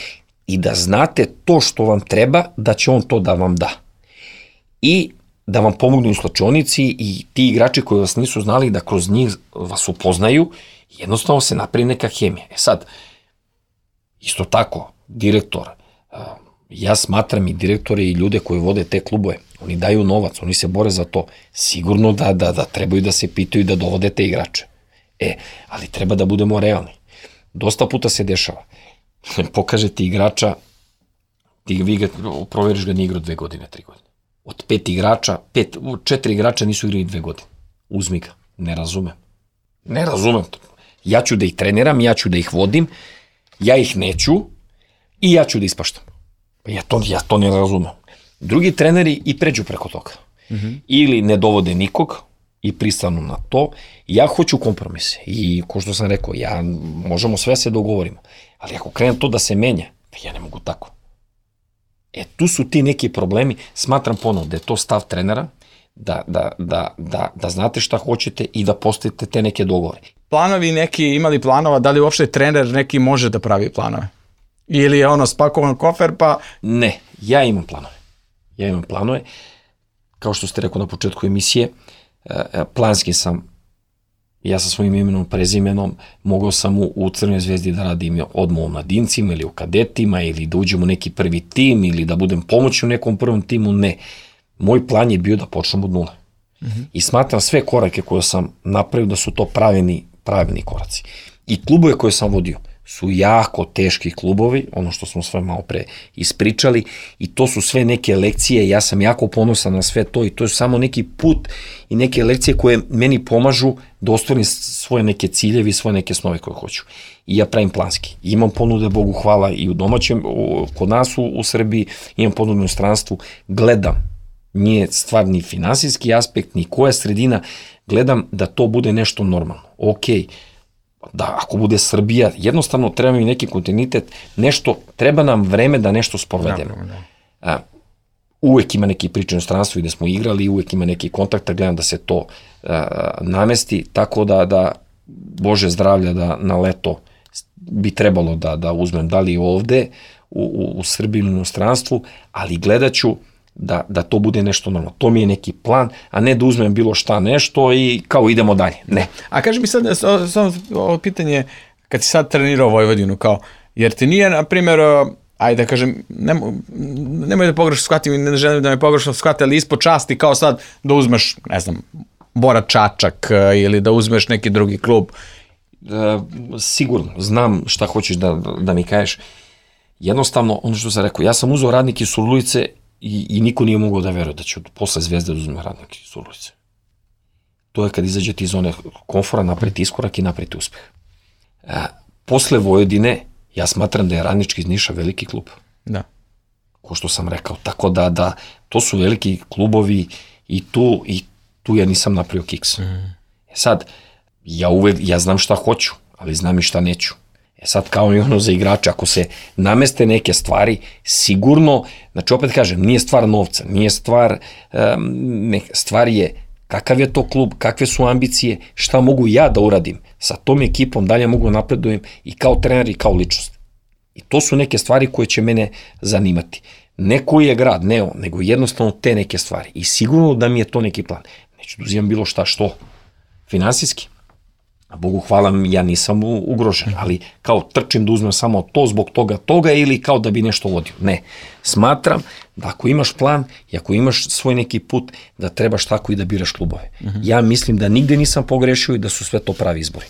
i da znate to što vam treba, da će on to da vam da. I da vam pomognu u slačionici i ti igrači koji vas nisu znali da kroz njih vas upoznaju, jednostavno se napravi neka hemija. Sad, isto tako, direktor, ja smatram i direktore i ljude koji vode te klubove, oni daju novac, oni se bore za to, sigurno da trebaju da se pitaju da dovode te igrače. Ali treba da budemo realni. Dosta puta se dešava. Pokaže ti igrača, vi ga proveriš ga nije igrao 2 godine, 3 godine. Od 5 igrača, 4 igrača nisu igrali 2 godine. Uzmi ga. Ne razumem to. Ja ću da ih treniram, ja ću da ih vodim, ja ih neću i ja ću da ispaštam. Ja to ne razumem. Drugi treneri i pređu preko toga. Ili ne dovode nikog i pristanu na to. Ja hoću kompromise. I ko što sam rekao, možemo sve se dogovorimo. Ali ako krenem to da se menja, ja ne mogu tako. Tu su ti neki problemi. Smatram ponovno da je to stav trenera, da znate šta hoćete i da postavite te neke dogovore. Planovi neki imali planova, da li uopšte trener neki može da pravi planove? Ili je ono spakovan kofer pa... Ne, ja imam planove. Kao što ste rekao na početku emisije, planski sam, ja sa svojim imenom, prezimenom, mogao sam u Crvenoj zvezdi da radim odmah u mladincima ili u kadetima ili da uđem u neki prvi tim ili da budem pomoć u nekom prvom timu, ne. Moj plan je bio da počnem od nule. I smatram sve korake koje sam napravio da su to pravilni koraci. I klubove koje sam vodio su jako teški klubovi, ono što smo sve malo pre ispričali, i to su sve neke lekcije, ja sam jako ponosan na sve to i to je samo neki put i neke lekcije koje meni pomažu da ostvarim svoje neke ciljevi i svoje neke snove koje hoću. I ja pravim planski. Imam ponude, Bogu hvala, i u domaćem, kod nas u Srbiji, imam ponude u inostranstvu, gledam, nije stvar ni finansijski aspekt, ni koja sredina, gledam da to bude nešto normalno. Okej, da ako bude Srbija, jednostavno treba mi neki kontinuitet, nešto, treba nam vreme da nešto sprovedemo. Uvek ima neki priče u inostranstvu gde smo igrali, uvek ima neki kontakta, gledam da se to namesti, tako da Bože zdravlja da na leto bi trebalo da uzmem da li ovde u Srbiji ili u inostranstvu, ali gledat ću da to bude nešto normalno. To mi je neki plan, a ne da uzmem bilo šta nešto i kao idemo dalje. Ne. A kaži mi sad, ovo pitanje, kad si sad trenirao Vojvodinu, kao, jer ti nije, na primjer, ajde da kažem, nemoj da pogrešno shvatim, ne želim da me pogrešno shvate, ali ispod časti kao sad da uzmeš, ne znam, Bora Čačak ili da uzmeš neki drugi klub. Sigurno, znam šta hoćeš da mi kažeš. Jednostavno, ono što sam rekao, ja sam uzeo Radnike iz Surdulice i niko nije mogao da veruje da će posle Zvezde da uzme Radnike iz Surdulice. To je kad izađete iz zone komfora, napravite iskorak i napravite uspeh. Posle Vojvodine, ja smatram da je Radnički iz Niša veliki klub. Da. Ko što sam rekao, tako da to su veliki klubovi i tu ja nisam napravio kiks. Sad, ja znam šta hoću, ali znam i šta neću. Sad kao i ono za igrače, ako se nameste neke stvari, sigurno, znači opet kažem, nije stvar novca, nije stvar, stvar je kakav je to klub, kakve su ambicije, šta mogu ja da uradim sa tom ekipom, dalje mogu napredujem i kao trener i kao ličnost. I to su neke stvari koje će mene zanimati. Ne koji je grad, ne on, nego jednostavno te neke stvari. I sigurno da mi je to neki plan. Neću da uzimam bilo šta, što? Finansijski. A Bogu hvala, ja nisam ugrožen, ali kao trčim da uzmem samo to zbog toga ili kao da bi nešto vodio. Ne. Smatram da ako imaš plan i ako imaš svoj neki put, da trebaš tako i da biraš klubove. Ja mislim da nigde nisam pogrešio i da su sve to pravi izbori.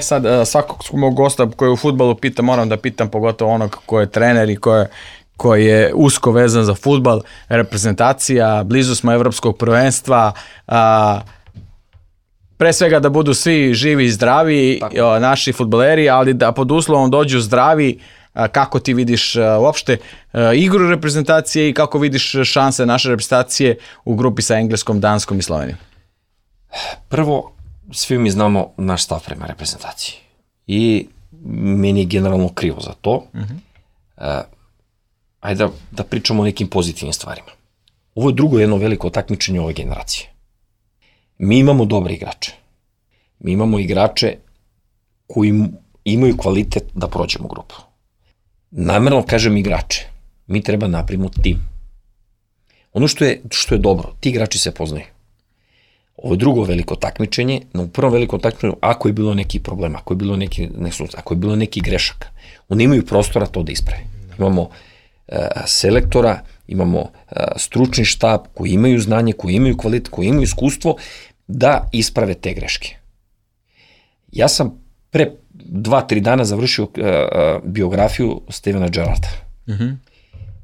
Sad, svakog mog gosta koji je u fudbalu pita, moram da pitam pogotovo onog ko je trener i koji je usko vezan za fudbal, reprezentacija, blizu smo evropskog prvenstva, pre svega da budu svi živi i zdravi, naši fudbaleri, ali da pod uslovom dođu zdravi, kako ti vidiš uopšte igru reprezentacije i kako vidiš šanse naše reprezentacije u grupi sa Engleskom, Danskom i Slovenijom? Prvo, svi mi znamo naš stav prema reprezentaciji i meni je generalno krivo za to. Ajde da pričamo o nekim pozitivnim stvarima. Ovo je drugo jedno veliko takmičenje ove generacije. Mi imamo dobre igrače. Mi imamo igrače koji imaju kvalitet da prođemo grupu. Namerno kažem igrače. Mi treba napravimo tim. Ono što je dobro, ti igrači se poznaju. Ovo je drugo veliko takmičenje, no u prvom velikom takmičenju, ako je bilo neki problem, ako je bilo neki grešaka, oni imaju prostora to da isprave. Imamo selektora, imamo stručni štab koji imaju znanje, koji imaju kvalitet, koji imaju iskustvo da isprave te greške. Ja sam pre 2-3 dana završio biografiju Stevena Gerrarda.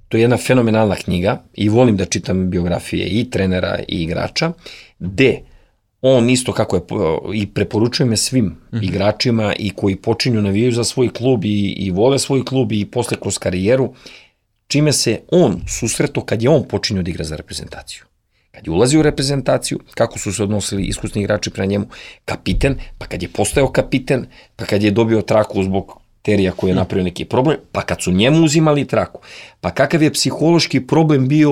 To je jedna fenomenalna knjiga i volim da čitam biografije i trenera i igrača, gde on isto kako je, i preporučujem je svim igračima i koji počinju navijaju za svoj klub i vole svoj klub i posle kroz karijeru, čime se on susretao kad je on počinio da igra za reprezentaciju. Kad je ulazio u reprezentaciju, kako su se odnosili iskusni igrači prema njemu, kapiten, pa kad je postao kapiten, pa kad je dobio traku zbog Terija koji je napravio neki problem, pa kad su njemu uzimali traku, pa kakav je psihološki problem bio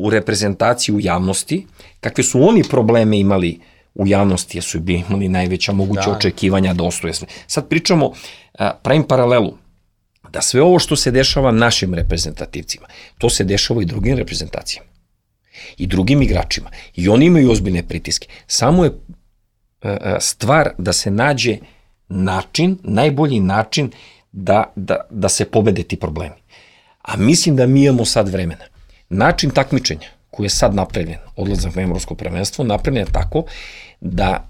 u reprezentaciji u javnosti, kakve su oni probleme imali u javnosti, jer su imali najveća moguća očekivanja da ostoje sve. Sad pričamo, pravim paralelu, da sve ovo što se dešava našim reprezentativcima, to se dešava i drugim reprezentacijama i drugim igračima i oni imaju ozbiljne pritiske. Samo je stvar da se nađe način, najbolji način da se pobede ti problemi. A mislim da mi imamo sad vremena. Način takmičenja koji je sad napravljen, odlazak na evropsko prvenstvo, napravljen je tako da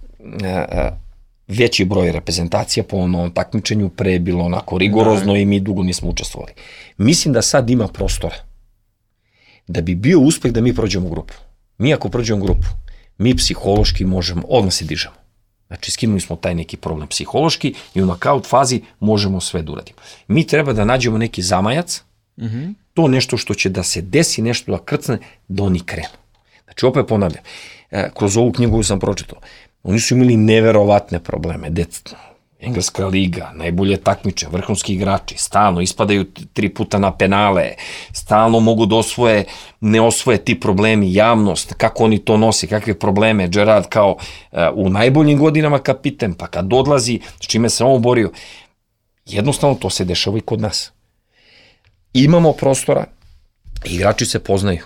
veći broj reprezentacija po onom takmičenju pre je bilo onako rigorozno i mi dugo nismo učestvovali. Mislim da sad ima prostora da bi bio uspeh da mi prođemo grupu. Mi ako prođemo grupu, mi psihološki možemo, odmah se dižemo. Znači, skinuli smo taj neki problem psihološki i u knockout fazi možemo sve da uradimo. Mi treba da nađemo neki zamajac, to nešto što će da se desi, nešto da krcne, da oni krenu. Znači, opet ponavljam, kroz ovu knjigu sam pročitao, oni su imali neverovatne probleme, Engleska liga, najbolje takmiče, vrhunski igrači, stalno ispadaju 3 puta na penale, stalno mogu da ne osvoje ti problemi, javnost, kako oni to nosi, kakve probleme, Gerrard kao u najboljim godinama kapiten, pa kad odlazi, s čime se on borio, jednostavno to se dešava i kod nas. Imamo prostora, igrači se poznaju,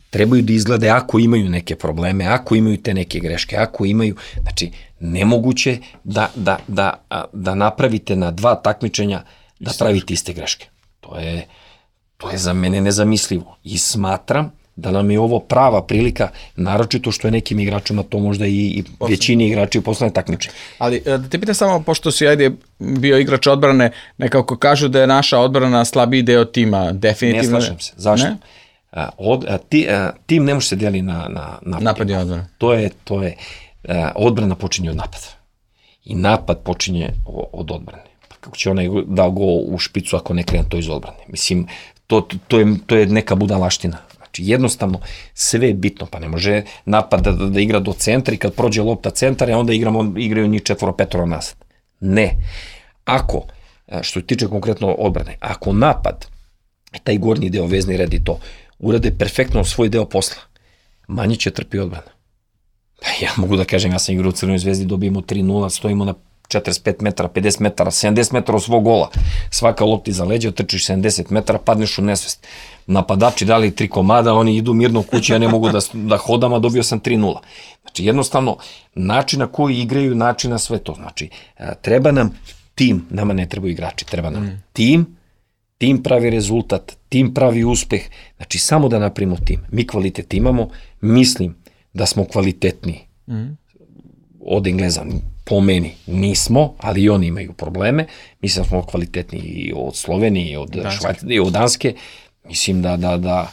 trebaju da izglede ako imaju neke probleme, ako imaju te neke greške, ako imaju, znači nemoguće da napravite na 2 takmičenja da pravite iste greške. To je za mene nezamislivo i smatram da nam je ovo prava prilika, naročito što je nekim igračima to možda i većini igrači poslednje takmičenje. Ali da te pitam samo, pošto si bio igrač odbrane, nekako kažu da je naša odbrana slabiji deo tima, definitivno. Ne slažem se. Zašto? Tim ne može se deli na napad i odbrana. To je odbrana počinje od napada. I napad počinje od odbrane. Pa kako će onaj da go u špicu ako ne krene to iz odbrane? Mislim, to je neka budalaština. Znači, jednostavno, sve je bitno, pa ne može napad da igra do centra i kad prođe lopta centar, onda igraju njih 4-5 nazad. Ne. Ako što se tiče konkretno odbrane, ako napad, taj gornji deo, vezni red i to, urade perfektno svoj deo posla, manje će trpi odbrana. Ja mogu da kažem, ja sam igrao u Crvenoj zvezdi, dobijemo 3-0, stojimo na 45 metara, 50 metara, 70 metara od svog gola. Svaka lopti za leđa, trčiš 70 metara, padneš u nesvest. Napadači dali 3 komada, oni idu mirno kući, ja ne mogu da hodam, a dobio sam 3-0. Znači, jednostavno, način na koji igraju, način na sve to. Znači, treba nam tim, nama ne trebaju igrači, treba nam tim pravi rezultat, tim pravi uspeh. Znači, samo da napravimo tim. Mi kvalitet imamo, mislim da smo kvalitetni od Engleza, po meni nismo, ali i oni imaju probleme. Mislim da smo kvalitetni i od Slovenije, i od Švajcarske, i od Danske. Mislim da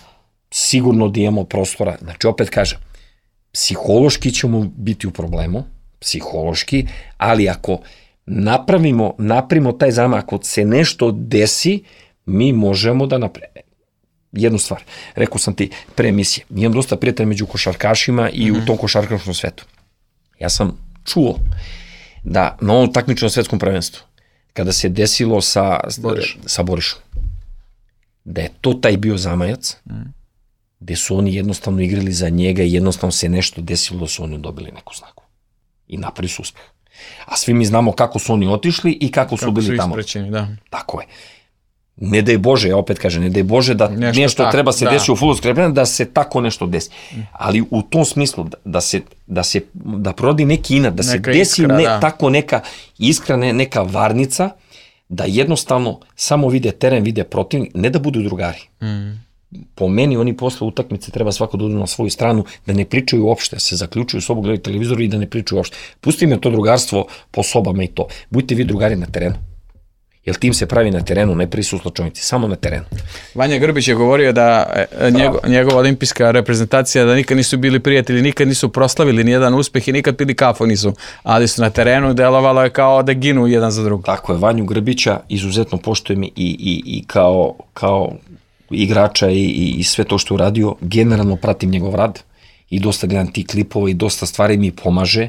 sigurno da imamo prostora. Znači, opet kažem, psihološki ćemo biti u problemu, psihološki, ali ako napravimo taj zamak, ako se nešto desi, mi možemo da napravimo. Jednu stvar, rekao sam ti pre emisije, imam dosta prijatelja među košarkašima i u tom košarkaškom svetu. Ja sam čuo da na ovom takmičnom svetskom prvenstvu, kada se desilo sa Borišom, da je to taj bio zamajac, gde su oni jednostavno igrali za njega i jednostavno se nešto desilo da su oni dobili neku snagu. I napravili su uspeh. A svi mi znamo kako su oni otišli i kako su bili tamo. Da. Tako je. Ne daj Bože, ja opet kažem, ne daj Bože da nešto treba se desi u fudbalskoj reprezentaciji, da se tako nešto desi. Ali u tom smislu da prorodi neki inat, da se desi tako neka iskra, neka varnica, da jednostavno samo vide teren, vide protivnik, ne da budu drugari. Po meni oni posle utakmice treba svako da uđu na svoju stranu, da ne pričaju uopšte, se zaključuju sobu, gledaju televizor i da ne pričaju uopšte. Pustite me to drugarstvo po sobama i to. Budite vi drugari na terenu. Jer tim se pravi na terenu, ne prisu slučajnici, samo na terenu. Vanja Grbić je govorio da njegova olimpijska reprezentacija, da nikad nisu bili prijatelji, nikad nisu proslavili nijedan uspeh i nikad pili kafu nisu, ali su na terenu, delovalo je kao da ginu jedan za drugog. Tako je, Vanju Grbića izuzetno poštujem i kao igrača i sve to što je uradio, generalno pratim njegov rad i dosta gledam tih klipova i dosta stvari mi pomaže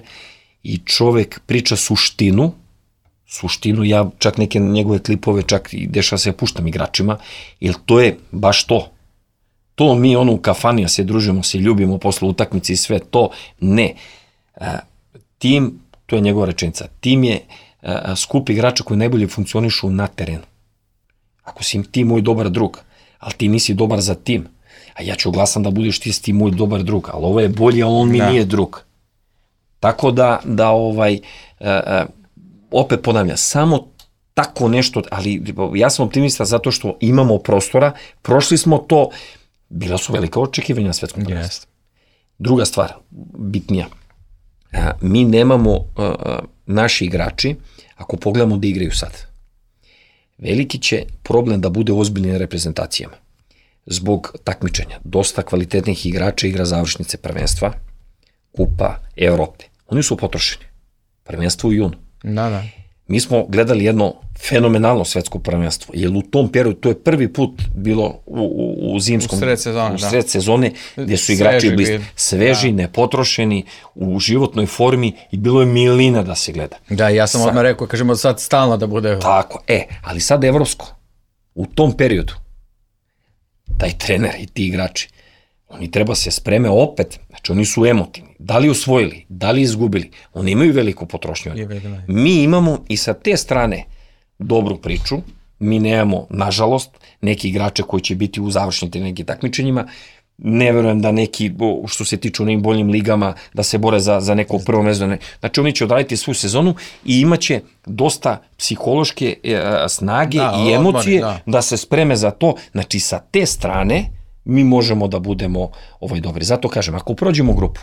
i čovek priča suštinu, ja čak neke njegove klipove čak i dešava se puštam igračima, jer to je baš to. To mi u kafani se družimo, se ljubimo posle utakmice i sve to, ne. Tim, to je njegova rečenica, tim je skup igrača koji najbolje funkcionišu na terenu. Ako si ti moj dobar drug, ali ti nisi dobar za tim, a ja ću glasam da budeš ti moj dobar drug, ali ovo je bolje, ali on mi nije drug. Tako da opet ponavljam, samo tako nešto, ali ja sam optimista zato što imamo prostora, prošli smo to, bila su velika očekivanja na svetskom prvenstvu. Druga stvar, bitnija, mi nemamo naši igrači, ako pogledamo da igraju sad, veliki će problem da bude ozbiljni na reprezentacijama. Zbog takmičenja, dosta kvalitetnih igrača igra završnice prvenstva, Kupa Evrope. Oni su potrošeni. Prvenstvo u junu. Da. Mi smo gledali jedno fenomenalno svetsko prvenstvo, jer u tom periodu, to je prvi put bilo u zimskom, u sred sezone, gdje su igrači bili sveži, nepotrošeni, u životnoj formi i bilo je milina da se gleda. Da, ja sam odmah rekao, kažemo sad stalno da bude. Tako, ali sad evropsko, u tom periodu, taj trener i ti igrači, oni treba se spreme opet, znači oni su emotivni, da li osvojili, da li izgubili, oni imaju veliku potrošnju. Mi imamo i sa te strane dobru priču, mi nemamo, nažalost, neki igrače koji će biti u završnim nekim takmičenjima, ne verujem da neki, što se tiču nekim boljim ligama, da se bore za neko prvo mesto. Znači oni će odraditi svu sezonu i imaće dosta psihološke snage i emocije da se spreme za to. Znači sa te strane mi možemo da budemo dobri. Zato kažem, ako prođemo grupu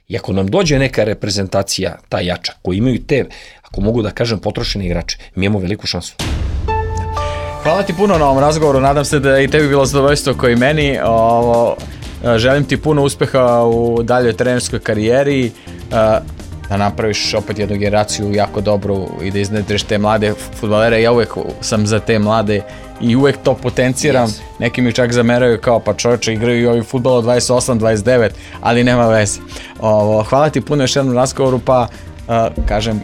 i ako nam dođe neka reprezentacija, ta jača, koji imaju te, ako mogu da kažem, potrošene igrače, mi imamo veliku šansu. Hvala ti puno na ovom razgovoru, nadam se da je i tebi bilo zadovoljstvo kao i meni. Želim ti puno uspeha u daljoj trenerskoj karijeri, da napraviš opet jednu generaciju jako dobru i da iznedriš te mlade fudbalere. Ja uvek sam za te mlade i uvek to potenciram. Neki mi čak zameraju kao pa čovječe igraju i ovi fudbal od 28-29, ali nema veze. Hvala ti puno još jednom razgovoru, pa kažem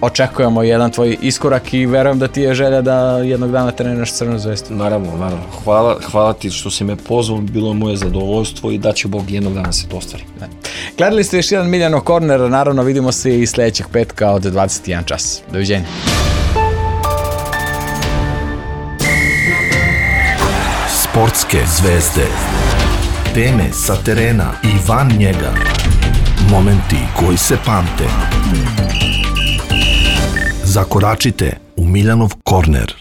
očekujemo jedan tvoj iskorak i verujem da ti je želja da jednog dana treniraš Crvenu Zvezdu. Naravno. Hvala ti što si me pozvao, bilo je moje zadovoljstvo i da će Bog jednog dana se to ostvari. Gledali ste još jedan Miljano Korner, naravno vidimo se i sledećeg petka od 21 čas. Doviđenja. Sportske zvezde. Teme sa terena i van njega. Momenti koji se pamte. Zakoračite u Miljanov korner.